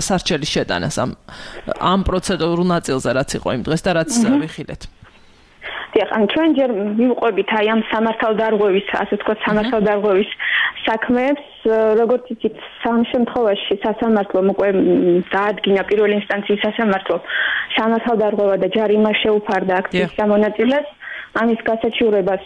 სარჩელის შეტანას ამ ამ პროცედურულ ნაწილზე, რაც იყო იმ დღეს და რაც ვიხილეთ. დიახ, ან ჩვენ ჯერ მივყვებით აი ამ სამართალდარღვევის, ასე ვთქვათ, სამართალდარღვევის საქმეებს, როგორც იცით, სამ შემთხვევაში სასამართლომ უკვე დაადგინა პირველი ინსტანციის სასამართლო სამართალდარღვევა და ჯარიმა შეუფარდა აქციის მონაწილეს. ამის გასაჩივრებას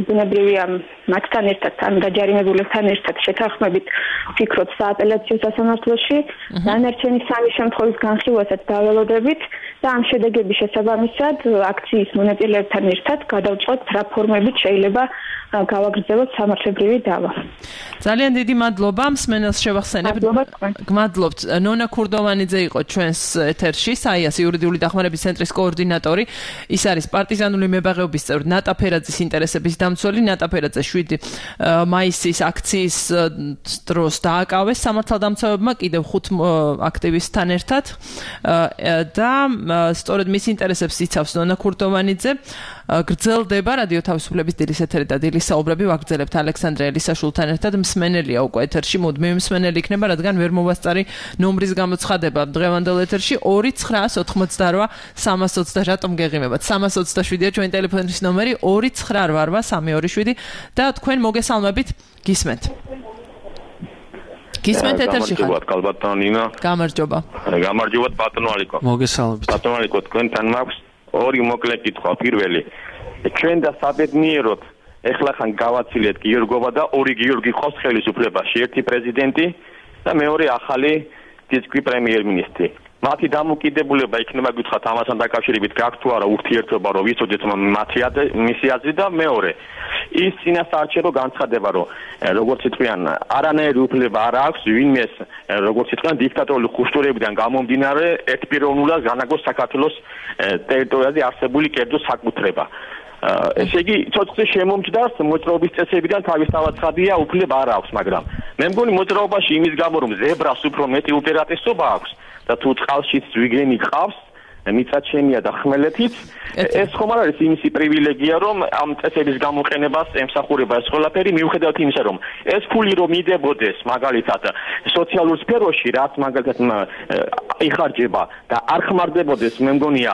ბუნებრივია მათთან ერთად, ან დაჯარიმებულებთან ერთად შეთანხმებით ვფიქრობ სააპელაციო სასამართლოში, დანარჩენი სამი შემთხვევის განხილვასაც დაველოდებით და ამ შედეგების შესაბამისად აქციის მონაწილეებთან ერთად გადავწყვეტ რა ფორმებით შეიძლება გავაგრძელოთ სამართლებრივი დავა. ძალიან დიდი მადლობა, მსმენელს შევახსენებ. გმადლობთ. ნონა ქურდოვანიძე იყო ჩვენს ეთერში, საიას იურიდიული დახმარების ცენტრის კოორდინატორი. ის არის პარტიზანული მებაღეობის წევრი, ნატა ფერაძის ინტერესების დამცველი. ნატა ფერაძე შვიდი მაისის აქციის დროს დააკავეს სამართალდამცავებმა კიდევ ხუთ აქტივისტთან ერთად და სწორედ მის ინტერესებს იცავს ნონა ქურდოვანიძე. გრძელდება რადიო თავისუფლების დილის ეთერი და დილის საუბრები ვაგრძელებთ ალექსანდრე ელისაშვილთან ერთად. მსმენელია უკვე ეთერში, მუდმივი მსმენელი იქნება, რადგან ვერ მოვასწარი ნომრის გამოცხადება დღევანდელ ეთერში ორი ცხრაას ოთხმოცდარვა სამას ოცდაშვიდი. რატომ გეღიმებათ? სამას ოცდაშვიდია ჩვენი ტელეფონის ნომერი ორი ცხრა რვა სამი ორი შვიდი და თქვენ მოგესალმებით, გისმენთ. გისმენთ ეთერში ხარ? გამარჯობათ, კალბატონო ნინა. გამარჯობა. გამარჯობათ, ბატონო ალიკო. მოგესალმებით. ბატონო ალიკო, თქვენთან მაქვს ორი მოკლე კითხვა. პირველი, ჩვენ და საბედნიეროდ ეხლა ხან გავაცილეთ გიორგოვა და ორი გიორგი ხოს ხელისუფლებაში, ერთი პრეზიდენტი და მეორე ახალი დისკრი პრემიერ-მინისტრი. მათი დამოკიდებულება იქნება გითხრათ ამასთან დაკავშირებით გაქვთ თუ არა ურთიერთობა, რომ ვიცოდეთ მათი მისი აზრი და მეორე ის წინასაარჩევნო განცხადება, რომ როგორც იტყვიან, არანაირი უფლება არ აქვს ვინმეს, როგორც იტყვიან, დიქტატორული ხუშტურებიდან გამომდინარე ერთპიროვნულად განაგოს საქართველოს ტერიტორიაზე არსებული კერძო საკუთრება. ესე იგი, ცოცხლი შემომჭდას მოძრაობის წესებიდან თავისთავად ცხადია, უფლება არ აქვს, მაგრამ მე მგონი მოძრაობაში იმის გამო, რომ ზებრას უფრო მეტი უპირატესობა აქვს და თუ წყალშიც ზვიგენი ყავს, მიწაჩენია და ხმელეთიც, ეს ხომ არ არის იმისი პრივილეგია, რომ ამ წესების გამოყენებას ემსახურება ეს ყველაფერი, მიუხედავად იმისა, რომ ეს ფული რომ მიდებოდეს მაგალითად სოციალურ სფეროში, რაც მაგალითად იხარჯება და არ ხმარდებოდეს, მე მგონია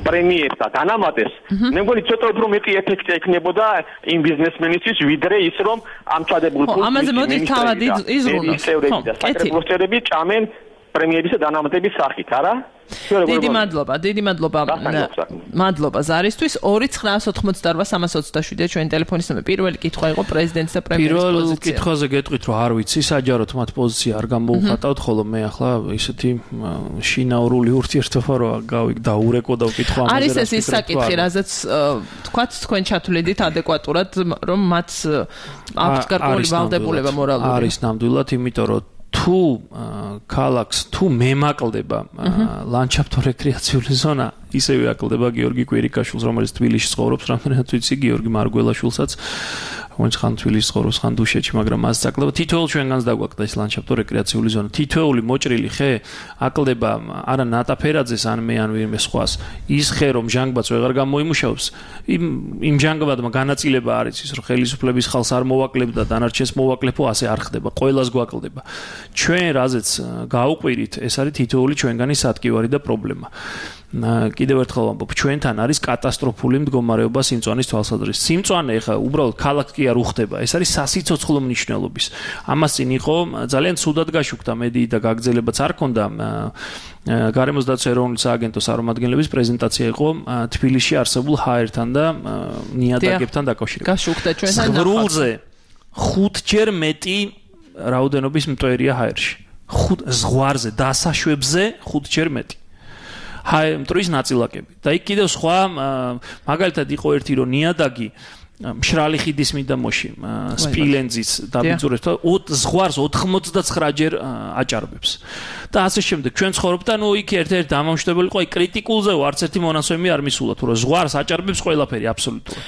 პრემიებს და დანამატებს, მე მგონი ცოტა უფრო მეტი ეფექტი ექნებოდა იმ ბიზნესმენისთვის, ვიდრე ის რომ ამ ჩადებულ ფულს ამაზე მოდის თავად იზრუნოს. და საკრებულოს წევრები ჭამენ პრემიერის და დანამატების სახით, არა? დიდი მადლობა, დიდი მადლობა. მადლობა ზარისთვის. ორი ცხრაას ოთხმოცდარვა სამას ოცდაშვიდია ჩვენი ტელეფონის ნომერი. პირველი კითხვა იყო პრეზიდენტის და პრემიერის პოზიცია. პირველ კითხვაზე გეტყვით, რომ არ ვიცი, საჯაროდ მათ პოზიცია არ გამოუხატავთ, ხოლო მე ახლა ისეთი შინაურული ურთიერთობა რო გავიგდაურეკო და ვკითხვა ამაზე. არის ეს ის საკითხი, რაზეც თქვათ თქვენ ჩათვლიდით ადეკვატურად, რომ მათ აქვთ გარკვეული ვალდებულება მორალური. არის ნამდვილად, იმიტომ რომ თუ ქალაქს თუ მემაკლდება ლანდშაფტო რეკრეაციული ზონა, ისევე აკლდება გიორგი კვირიკაშვილს, რომელიც თბილისში ცხოვრობს, რამდენად ვიცი, გიორგი მარგველაშვილსაც, რომელიც ხან თბილისში ცხოვრობს, ხან დუშეთში, მაგრამ მას აკლდება. თითოეულ ჩვენგანს დაგვაკლდა ეს ლანდშაფტო რეკრეაციული ზონა. თითოეული მოჭრილი ხე აკლდება არა ნატა ფერაძეს, ან მე, ან ვინმე სხვას. ის ხე, რომ ჟანგბადს ვეღარ გამოიმუშავებს, იმ იმ ჟანგბადმა განაწილება არის ის, რომ ხელისუფლების ხალხს არ მოვაკლებდა, დანარჩენს მოვაკლებო, ასე არ ხდება. ყველას გვაკლდება. ჩვენ რაზეც გაუყვირით, ეს არის თითოეული ჩვენგანის ატკივარი და პრობლემა. კიდევ ერთხელ ვამბობ, ჩვენთან არის კატასტროფული მდგომარეობა სიმწვანის თვალსაზრისით. სიმწვანე ხა უბრალოდ ქალაქი არ უხდება, ეს არის სასიცოცხლო მნიშვნელობის. ამას წინ იყო ძალიან ცუდად გაშუქდა მედიი და გაგრძელებაც არ ქონდა გარემოს დაცვის ეროვნული სააგენტოს წარმომადგენლების პრეზენტაცია იყო თბილისში არსებულ ჰაერთან და ნიადაგებთან დაკავშირებით. გაშუქდა ჩვენთან ზღვრულზე ხუთჯერ მეტი რაოდენობის მტვერია ჰაერში. ხუთ ზღვარზე დასაშვებზე ხუთჯერ მეტი. ჰაერ მტვრის ნაწილაკები. და იქ კიდევ სხვა მაგალითად იყო ერთი რომ ნიადაგი მშრალი ხიდის მიდამოში სპილენძის დაბინძურებს და ზღვარს ოთხმოცდაცხრა ჯერ აჭარბებს. და ასე შემდეგ ჩვენ ცხოვრობთ და ნუ იქ ერთ-ერთი დამამშვიდებელი იყო, აი კრიტიკულზე არც ერთი მონაცემი არ მისულა, თუ რომ ზღვარს აჭარბებს ყველაფერი აბსოლუტურად.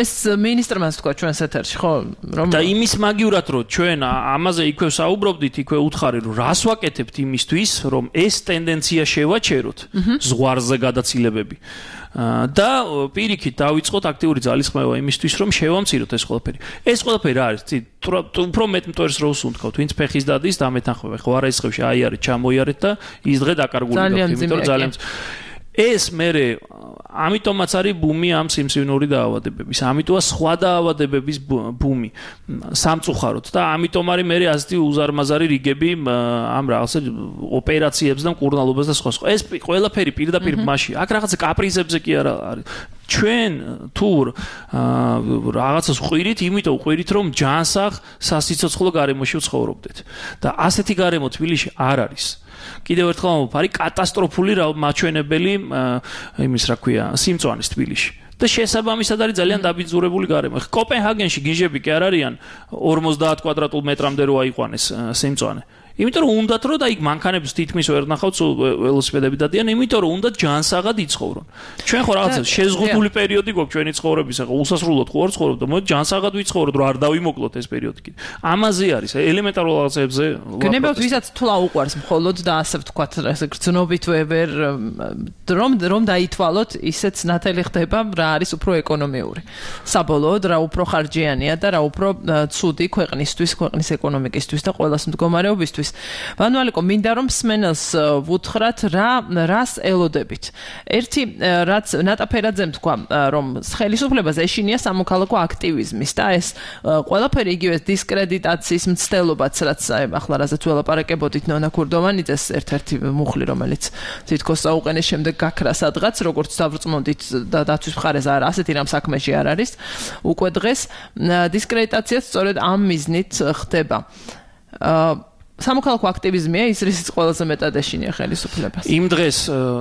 ეს მინისტრმა თქვა ჩვენს ეთერში, ხო? რომ და იმის მაგივრად რომ ჩვენ ამაზე იქვე საუბრობდით, იქვე უთხარი რომ რას ვაკეთებთ იმისთვის, რომ ეს ტენდენცია შევაჩეროთ, ზღვარზე გადაცილებები. და პირიქით დავიწყოთ აქტიური ძალისხმევა იმისთვის, რომ შევამციროთ ეს ყველაფერი. ეს ყველაფერი არის უფრო მეტ მტვერს რო უსუნთქავთ, ვინც ფეხის დადის და მეთანხმება. ხო არაისხევში აიარეთ, ჩამოიარეთ და ის დღე დაკარგული გაქვთ, იმიტომ რომ ძალიან ეს მე ამიტომაც არის ბუმი ამ სიმსივნური დაავადებების, ამიტომა სხვა დაავადებების ბუმი სამწუხაროდ და ამიტომ არის მე ასეთი უზარმაზარი რიგები ამ რაღაცა ოპერაციებს და მკურნალობას და სხვა სხვა. ეს ყველაფერი პირდაპირ მასში. აქ რაღაცა კაპრიზებზე კი არა არის. ჩვენ თუ რაღაცას ვყვირით, იმიტომ ვყვირით, რომ ჯანსაღ სასიცოცხლო გარემოში ვცხოვრობდეთ. და ასეთი გარემო თბილისში არ არის. კიდევ ერთხელ ვამბობ, არის კატასტროფული მაჩვენებელი იმის რა ქვია, სიმწვანის თბილისში. და შესაბამისად არის ძალიან დაბინძურებული გარემო. კოპენჰაგენში გიჟები კი არ არიან ორმოცდაათ კვადრატულ მეტრამდე რო აიყვანეს სიმწვანე. იმიტომ რომ უნდათ რომ და იქ მანქანებს თითქმის ვერ ნახავთ, ველოსიპედები დადიან, იმიტომ რომ უნდათ ჯანსაღად იცხოვრონ. ჩვენ ხო რაღაცა შეზღუდული პერიოდი გვაქვს ჩვენი ცხოვრების, ახლა უსასრულოდ ხო არ ცხოვრობ და მოდი ჯანსაღად ვიცხოვროთ, რომ არ დავიმოკლოთ ეს პერიოდი კიდე. ამაზე არის ელემენტარულ რაღაცებზე. გნებავთ ვისაც თულა უყვარს მხოლოდ და ასე ვთქვათ, ესე გრძნობით ვერ რომ რომ დაითვალოთ, ისეც ნათელი ხდება, რა არის უფრო ეკონომიური. საბოლოოდ რა უფრო ხარჯიანია და რა უფრო ცუდი ქვეყნისთვის, ქვეყნის ეკონომიკისთვის და ყველას მდგომარეობისთვის. ვანვალიკო, მინდა რომ მსმენელს ვუთხრათ რა რას ელოდებით. ერთი რაც ნატა ფერაძემ თქვა, რომ ხელისუფლებას ეშინია სამოქალაქო აქტივიზმის და ეს ყველაფერი იგივე დისკრედიტაციის მცდელობაც, რაც ახლა რაზეც ველაპარაკებოდით ნონა ქურდოვანიძეს, ერთ-ერთი მუხლი, რომელიც თითქოს საუყენეს შემდეგ გაქრა სადღაც, როგორც დავრწმუნდით და დაცვის მხარეს არა, ასეთი რამ საქმეში არ არის. უკვე დღეს დისკრედიტაციაც სწორედ ამ მიზნით ხდება. სამოქალაქო აქტივიზმია ის, რისიც ყველაზე მეტად ეშინია ხელისუფლებას. იმ დღეს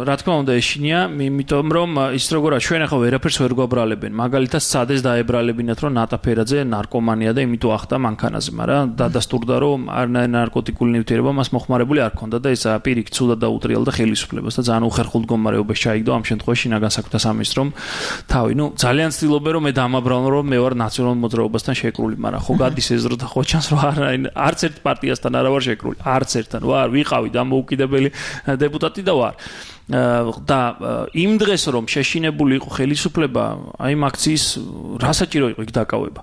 რა თქმა უნდა ეშინია, იმიტომ რომ ის როგორა ჩვენ ახლა ვერაფერს ვერ გვაბრალებენ. მაგალითად სადეს დაებრალებინათ, რომ ნატა ფერაძე ნარკომანია და იმიტომ ახდა მანქანაზე, მაგრამ დადასტურდა, რომ არნაირი ნარკოტიკული ნივთიერება მას მოხმარებული არ ქონდა და ეს პირიქით ცუდად დაუტრიალდა ხელისუფლებას და ძალიან უხერხულ მდგომარეობაში ჩაიგდო ამ შემთხვევაში შინაგან საქმეთა სამინისტრომ თავი. ნუ ძალიან ცდილობენ რომ მე დამაბრალო, რომ მე ვარ ნაციონალურ მოძრაობასთან შეკრული, მაგრამ ხო გადის ეზრო და ხო ჩანს რომ არც ერთ პარტიასთან არა ვარ შეკრული, არც ერთთან ვარ, ვიყავი დამოუკიდებელი დეპუტატი და ვარ. და იმ დღეს რომ შეშინებული იყო ხელისუფლება, აი ამ აქციის რა საჭირო იყო იქ დაკავება.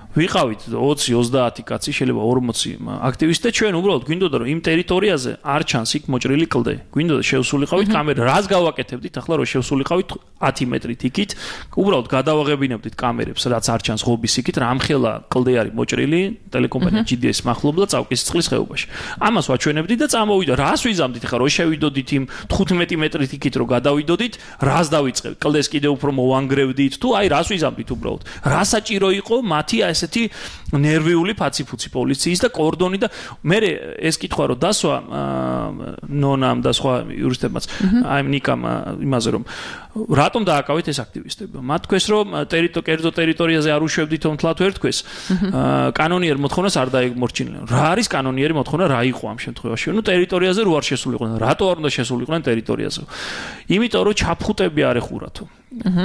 ვიყავით ოცი ოცდაათი კაცი, შეიძლება ორმოცი აქტივისტი და ჩვენ უბრალოდ გვინდოდა რომ იმ ტერიტორიაზე არ ჩანს იქ მოჭრილი კლდე. გვინდოდა შევსულიყავით კამერა, რას გავაკეთებდით ახლა რომ შევსულიყავით ათი მეტრით იქით, უბრალოდ გადავაღებინებდით კამერებს, რაც არ ჩანს ღობის იქით, რამხელა კლდე არის მოჭრილი, ტელეკომპანია ჯი დი ეს მახლობლად წავკის წყლის ხეობაში. ამას ვაჩვენებდით და წამოვიდა. რას ვიზამდით ახლა რომ შევიდოდით იმ თხუთმეტი მეტრით იქით რომ გადავიდოდით, რას დავიწყებთ? კლდეს კიდევ უფრო მოვანგრევდით თუ აი რას ვიზამდით უბრალოდ? რა საჭირო იყო მათი ესეთი ნერვიული ფაციფუცი პოლიციის და კორდონი და მე ეს კითხვა რომ დასვა ნონამ და სხვა იურისტებმაც აი ნიკამ იმაზე რომ რატომ დააკავეთ ეს აქტივისტები? მათ თქვეს რომ ტერიტორიაზე ტერიტორიაზე არ უშვებდით რომ თლათ ვერ თქვეს კანონიერ მოთხოვნას არ დაემორჩინენ. რა არის კანონიერი მოთხოვნა, რა იყო ამ შემთხვევაში? ნუ ტერიტორიაზე რო არ შესულიყვნენ. რატო არ უნდა შესულიყვნენ ტერიტორიაზე? იმიტომ რომ ჩაფხუტები არ ეხურათო.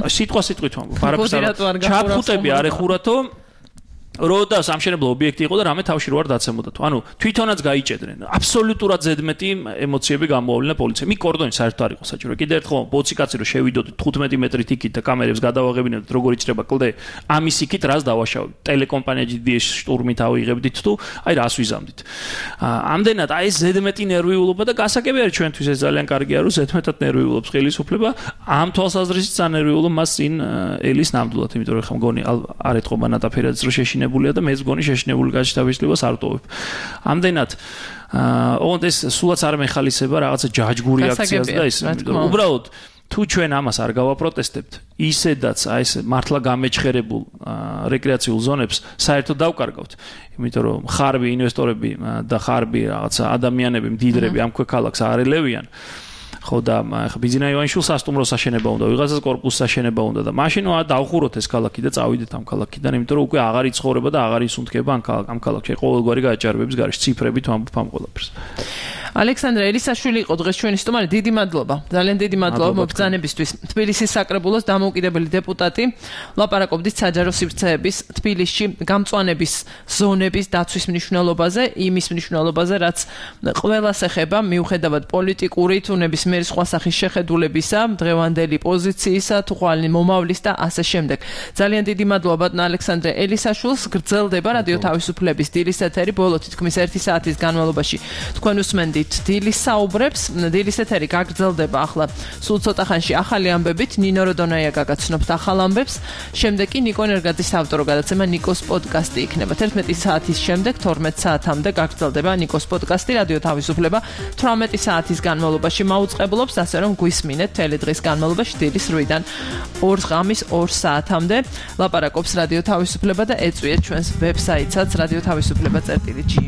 სიტყვა სიტყვით ვამბობ, არაფერს არ ჩაფხუტები არ ეხურათო. როდა სამშენებლო ობიექტი იყო და რამე თავში რო არ დაცემოდა თუ. ანუ თვითონაც გაიჭედრენ. აბსოლუტურად ზედმეტი ემოციები გამოავლინა პოლიციამ. მი კორდონი საერთოდ არ იყო საჭირო. კიდე ერთხელ ბოცი კაცი რო შევიდოდით თხუთმეტი მეტრით იქით და კამერებს გადავაღებინებდით როგორ იჭრება კლდე, ამის იქით რას დავაშავებთ. ტელეკომპანია ჯი დი ეს შტურმით ავიღებდით თუ აი რას ვიზამდით. ამდენად აი ეს ზედმეტი ნერვიულობა და გასაგები არის ჩვენთვის ეს ძალიან კარგია რომ ზედმეტად ნერვიულობს ხელისუფლება. ამ თვალსაზრისით სანერვიულო მას წინ ელის ნამდვილად, იმიტომ რომ ხა მგონი არ ეთყობა ნატაფერაძის რო შეშინებულია და მეც მგონი შეშინებული გაჩთავისლებას არ ტოვებ. ამდენად ოღონდ ეს სულაც არ მეხალისება რაღაცა ჯაჯგური აქციას და ის უბრალოდ თუ ჩვენ ამას არ გავაპროტესტებთ, ისედაც აი ეს მართლა გამეჩხერებულ რეკრეაციულ ზონებს საერთოდ დავკარგავთ. იმიტომ რომ ხარბი ინვესტორები და ხარბი რაღაცა ადამიანები, მდიდრები ამ ქვექალაქს არ ელევიან. ხო და ხა ბიზნა ივანიშვილს სასტუმროს აშენება უნდა, ვიღაცას კორპუსს აშენება უნდა და მაშინ დავხუროთ ეს ქალაქი და წავიდეთ ამ ქალაქიდან, იმიტომ რომ უკვე აღარ იცხოვრება და აღარ ისუნთქება ამ ქალაქში. ყოველგვარი გააჭარბების გარეშე ციფრებით ვამბობ ამ ყველაფერს. ალექსანდრე ელისაშვილი იყო დღეს ჩვენი სტუმარი. დიდი მადლობა. ძალიან დიდი მადლობა მობრძანებისთვის. თბილისის საკრებულოს დამოუკიდებელი დეპუტატი ლაპარაკობდით საჯარო სივრცეების თბილისში გამწვანების ზონების დაცვის მნიშვნელობაზე, იმის მნიშვნელობაზე, რაც ყველას ეხება, მიუხედავად პოლიტიკური თუ ნებისმიერი სხვა სახის შეხედულებისა, დღევანდელი პოზიციისა, თუხალი მომავლის და ასე შემდეგ. ძალიან დიდი მადლობა ბატონ ალექსანდრე ელისაშვილს. გრძელდება რადიო თავისუფლების დილის ეთერი ბოლო თითქმის ერთი საათის განმავლობაში. თქვენ უსმენთ დილის საუბრებს, დილის ეთერი გაგრძელდება ახლა სულ ცოტა ხანში ახალი ამბებით, ნინო როდონაია გაგაცნობთ ახალ ამბებს, შემდეგ კი ნიკო ენერგაძის ავტორო გადაცემა ნიკოს პოდკასტი იქნება. თერთმეტი საათის შემდეგ თორმეტ საათამდე გაგრძელდება ნიკოს პოდკასტი რადიო თავისუფლება თვრამეტი საათის განმავლობაში მაუწყებლობს, ასე რომ გვისმინეთ მთელი დღის განმავლობაში დილის რვიდან ორ ღამის ორ საათამდე ლაპარაკობს რადიო თავისუფლება და ეწვიეთ ჩვენს ვებსაიტსაც რადიო თავისუფლება წერტილი ჯი.